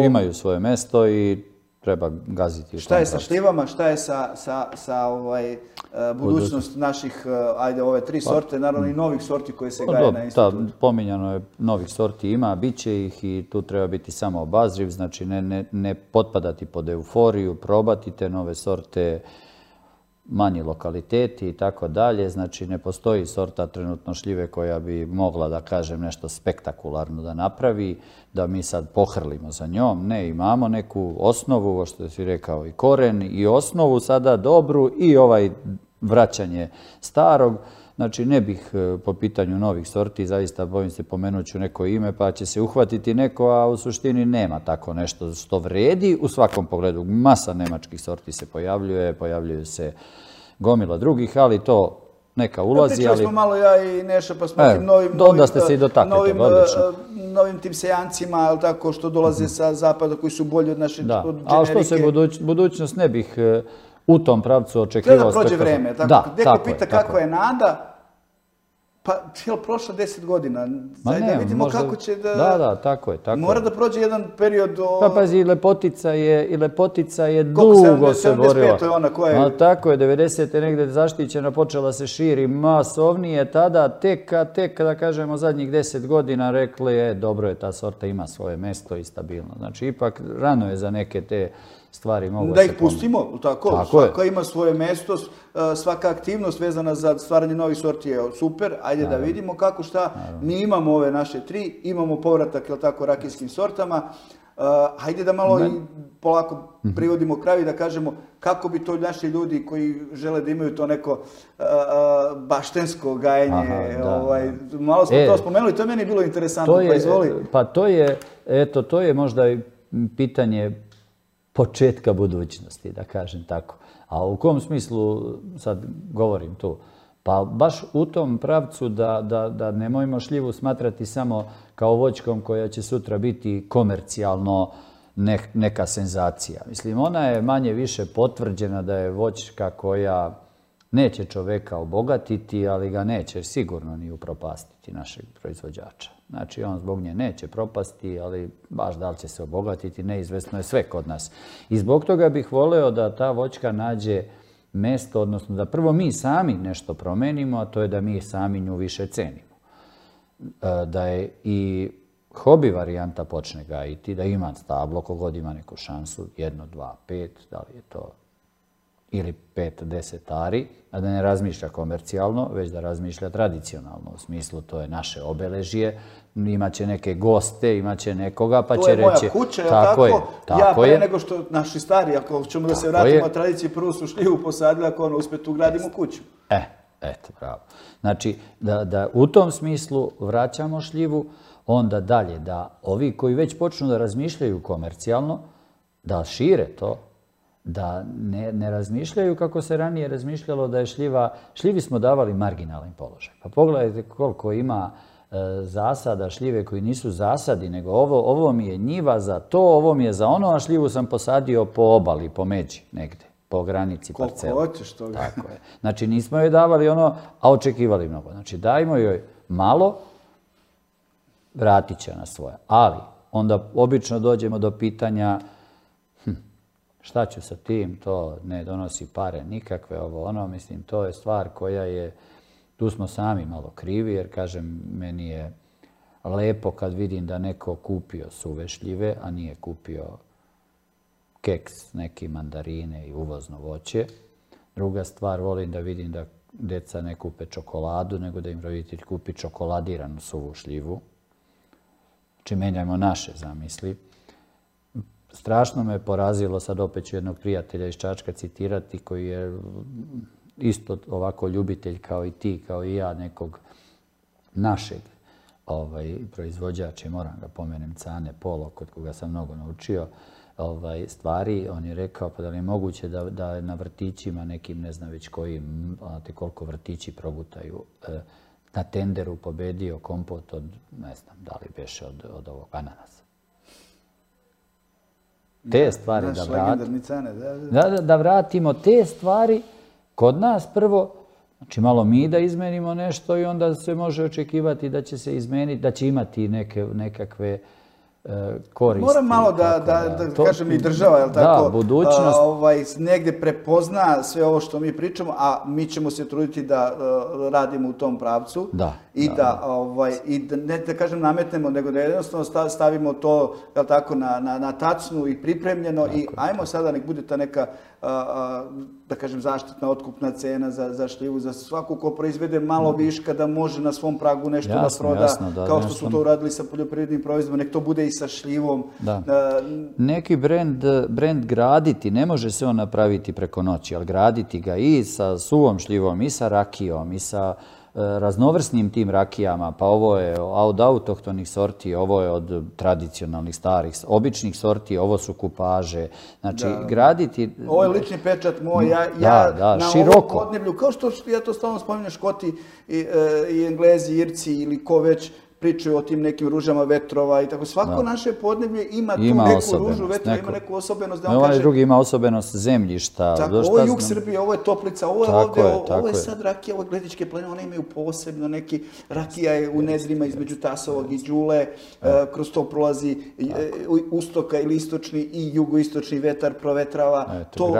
Imaju svoje mesto i treba gaziti. Šta je sa šljivama, šta je sa budućnost naših, ajde, ove 3 sorte, naravno i novih sorti koje se gaje na institutu? Pominjano je novih sorti ima, bit će ih i tu treba biti samo obazriv, znači ne potpadati pod euforiju, probati te nove sorte, manji lokaliteti i tako dalje. Znači, ne postoji sorta trenutno šljive koja bi mogla, da kažem, nešto spektakularno da napravi, da mi sad pohrlimo za njom. Ne, imamo neku osnovu, ovo što si rekao, i koren, i osnovu sada dobru i vraćanje starog. Znači, ne bih po pitanju novih sorti, zaista bojim se pomenut ću neko ime pa će se uhvatiti neko, a u suštini nema tako nešto što vredi u svakom pogledu. Masa nemačkih sorti se pojavljuju se gomila drugih, ali to neka ulazi. Pričali smo malo ja i Neša pa smo tim novim tim sejancima što dolaze sa zapada koji su bolji od naše generike. Ali što se budućnost ne bih u tom pravcu očekivao. Treba da prođe vreme. Neko pita kako je nada, pa je li prošlo 10 godina? Da vidimo kako će da... Da, tako je. Mora da prođe jedan period... Pa pazi, i Lepotica je dugo se borila. 75 je ona koja je... Tako je, 90. negde zaštićena, počela se širi masovnije, tada tek, da kažemo, zadnjih 10 godina rekli, dobro je, ta sorta ima svoje mesto i stabilno. Znači, ipak rano je za neke te stvari mogu se... Da ih pustimo, tako. Svaka ima svoje mesto, svaka aktivnost vezana za stvaranje novih sorti je super. Ajde da vidimo kako šta. Mi imamo ove naše 3, imamo povratak, jel tako, rakijskim sortama. Hajde da malo i polako privodimo kraju i da kažemo kako bi to naši ljudi koji žele da imaju to neko baštensko gajenje. Malo smo to spomenuli, to je meni bilo interesantno, pa izvoli. Pa to je možda pitanje početka budućnosti, da kažem tako. A u kom smislu sad govorim tu? Pa baš u tom pravcu da nemojmo šljivu smatrati samo kao voćkom koja će sutra biti komercijalno neka senzacija. Mislim, ona je manje više potvrđena da je voćka koja neće čoveka obogatiti, ali ga neće sigurno ni upropastiti našeg proizvođača. Znači, on zbog nje neće propasti, ali baš da li će se obogatiti, neizvesno je sve kod nas. I zbog toga bih voleo da ta voćka nađe mesto, odnosno da prvo mi sami nešto promenimo, a to je da mi sami nju više cenimo. Da je i hobi varijanta počne gajiti, da ima stablo, kogod ima neku šansu, 1, 2, 5, da li je to ili 5-10 ari, a da ne razmišlja komercijalno, već da razmišlja tradicionalno. U smislu, to je naše obeležje, imaće neke goste, imaće nekoga, pa će reći... To je moja kuća, tako? Ja pre nego što naši stari, ako ćemo da se vratimo tradiciji, prvo su šljivu posadili, ako ono uspet ugradimo kuću. Eto, bravo. Znači, da u tom smislu vraćamo šljivu, onda dalje, da ovi koji već počnu da razmišljaju komercijalno, da šire to, da ne razmišljaju kako se ranije razmišljalo da je šljivi smo davali marginalan položaj. Pa pogledajte koliko ima zasada šljive koji nisu zasadi, nego ovo mi je njiva za to, ovo mi je za ono, a šljivu sam posadio po obali, po međi negde, po granici parcela. Koliko hoćeš toga. Tako je. Znači nismo joj davali ono, a očekivali mnogo. Znači dajmo joj malo, vratit će na svoje. Ali onda obično dođemo do pitanja šta ću sa tim, to ne donosi pare nikakve, ovo ono, mislim, to je stvar koja je, tu smo sami malo krivi, jer kažem, meni je lepo kad vidim da neko kupio suve šljive, a nije kupio keks, neke mandarine i uvozno voće. Druga stvar, volim da vidim da deca ne kupe čokoladu, nego da im roditelj kupi čokoladiranu suvu šljivu. Znači, menjajmo naše zamisli. Strašno me porazilo, sad opet ću jednog prijatelja iz Čačka citirati, koji je isto ovako ljubitelj kao i ti, kao i ja, nekog našeg proizvođača, moram ga pomenem, Cane Polo, kod koga sam mnogo naučio stvari. On je rekao, pa da li je moguće da na vrtićima nekim, ne znam već kojim, znate koliko vrtići progutaju, na tenderu pobedio kompot od, ne znam, da li beše od ovog ananasa. Te stvari da vratimo, te stvari kod nas prvo, znači malo mi da izmenimo nešto i onda se može očekivati da će se izmeniti, da će imati nekakve koristi. Moram malo da kažem i država, je li tako? Da, budućnost. Negdje prepozna sve ovo što mi pričamo, a mi ćemo se truditi da radimo u tom pravcu. I da ne da kažem nametnemo, nego da jednostavno stavimo to, je li tako, na tacnu i pripremljeno i ajmo sada nek bude ta neka, da kažem, zaštitna otkupna cena za šljivu, za svaku ko proizvede malo viška da može na svom pragu nešto da proda, kao što su to uradili sa poljoprivrednim proizvodom, nek to bude i sa šljivom. Neki brend graditi, ne može se on napraviti preko noći, ali graditi ga i sa suvom šljivom, i sa rakijom, i sa raznovrsnim tim rakijama, pa ovo je od autohtonih sorti, ovo je od tradicionalnih starih, običnih sorti, ovo su kupaže. Znači, graditi... Ovo je lični pečat moj, ja na ovom podneblju, kao što ja to stalno spominjem, Škoti i Englezi, Irci ili ko već pričaju o tim nekim ružama vetrova i tako. Svako naše podneblje ima tu neku ružu vetrova, ima neku osobenost. Ovaj drugi ima osobenost zemljišta. Ovo je jug Srbije, ovo je Toplica, ovo je ovdje, ovo je sad rakija, ovo je Gledičke planine, one imaju posebno neki, rakija je u nedrima između Tasovog i Đule, kroz to prolazi ustoka ili istočni i jugoistočni vetar provetrava.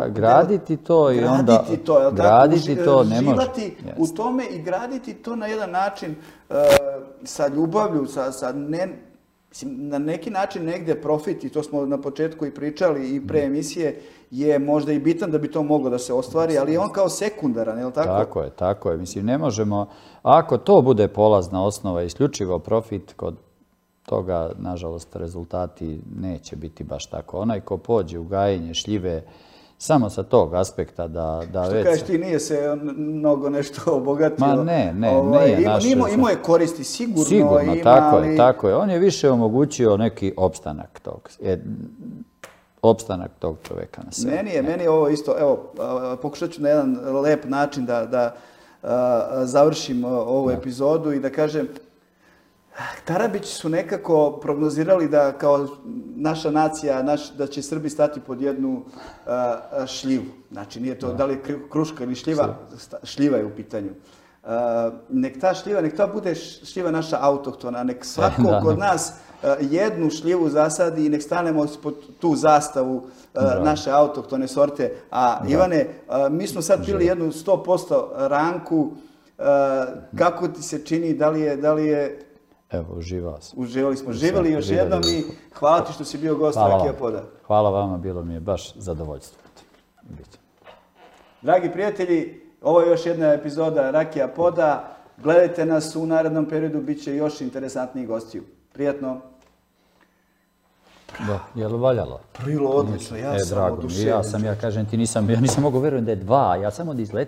Graditi to i onda... Graditi to ne može. Živati u tome i graditi to na jedan način sa ljubavlju, na neki način negdje profit, i to smo na početku i pričali i pre emisije, je možda i bitan da bi to moglo da se ostvari, ali je on kao sekundaran, je li tako? Tako je. Mislim, ne možemo, ako to bude polazna osnova, isključivo profit, kod toga, nažalost, rezultati neće biti baš tako. Onaj ko pođe u gajenje šljive, samo sa tog aspekta da već... Što kažeš ti, nije se mnogo nešto obogatio. Ma ne, nije naše... Imao je koristi, sigurno. Sigurno, tako je. On je više omogućio neki opstanak tog čoveka na sebi. Meni je ovo isto, evo, pokušat ću na jedan lep način da završim ovu epizodu i da kažem, Tarabići su nekako prognozirali da kao naša nacija, da će Srbi stati pod jednu šljivu. Znači, nije to da li je kruška ili šljiva, šljiva je u pitanju. Nek ta šljiva, nek to bude šljiva naša autohtona, nek svako kod nas jednu šljivu zasadi i nek stanemo pod tu zastavu naše autohtone sorte. A Ivane, mi smo sad pili jednu 100% ranku. Kako ti se čini, da li je... Evo, uživao sam. Uživali smo. Živjeli još jednom i hvala ti što si bio gost Rakija Poda. Hvala vama, bilo mi je baš zadovoljstvo. Dragi prijatelji, ovo je još jedna epizoda Rakija Poda. Gledajte nas u narednom periodu, bit će još interesantnijih gostiju. Prijatno. Da, je li valjalo? Prilo, odlično, ja sam oduševljen. Ja kažem ti, ja nisam mogao vjerujem da je 2, ja samo da izletio.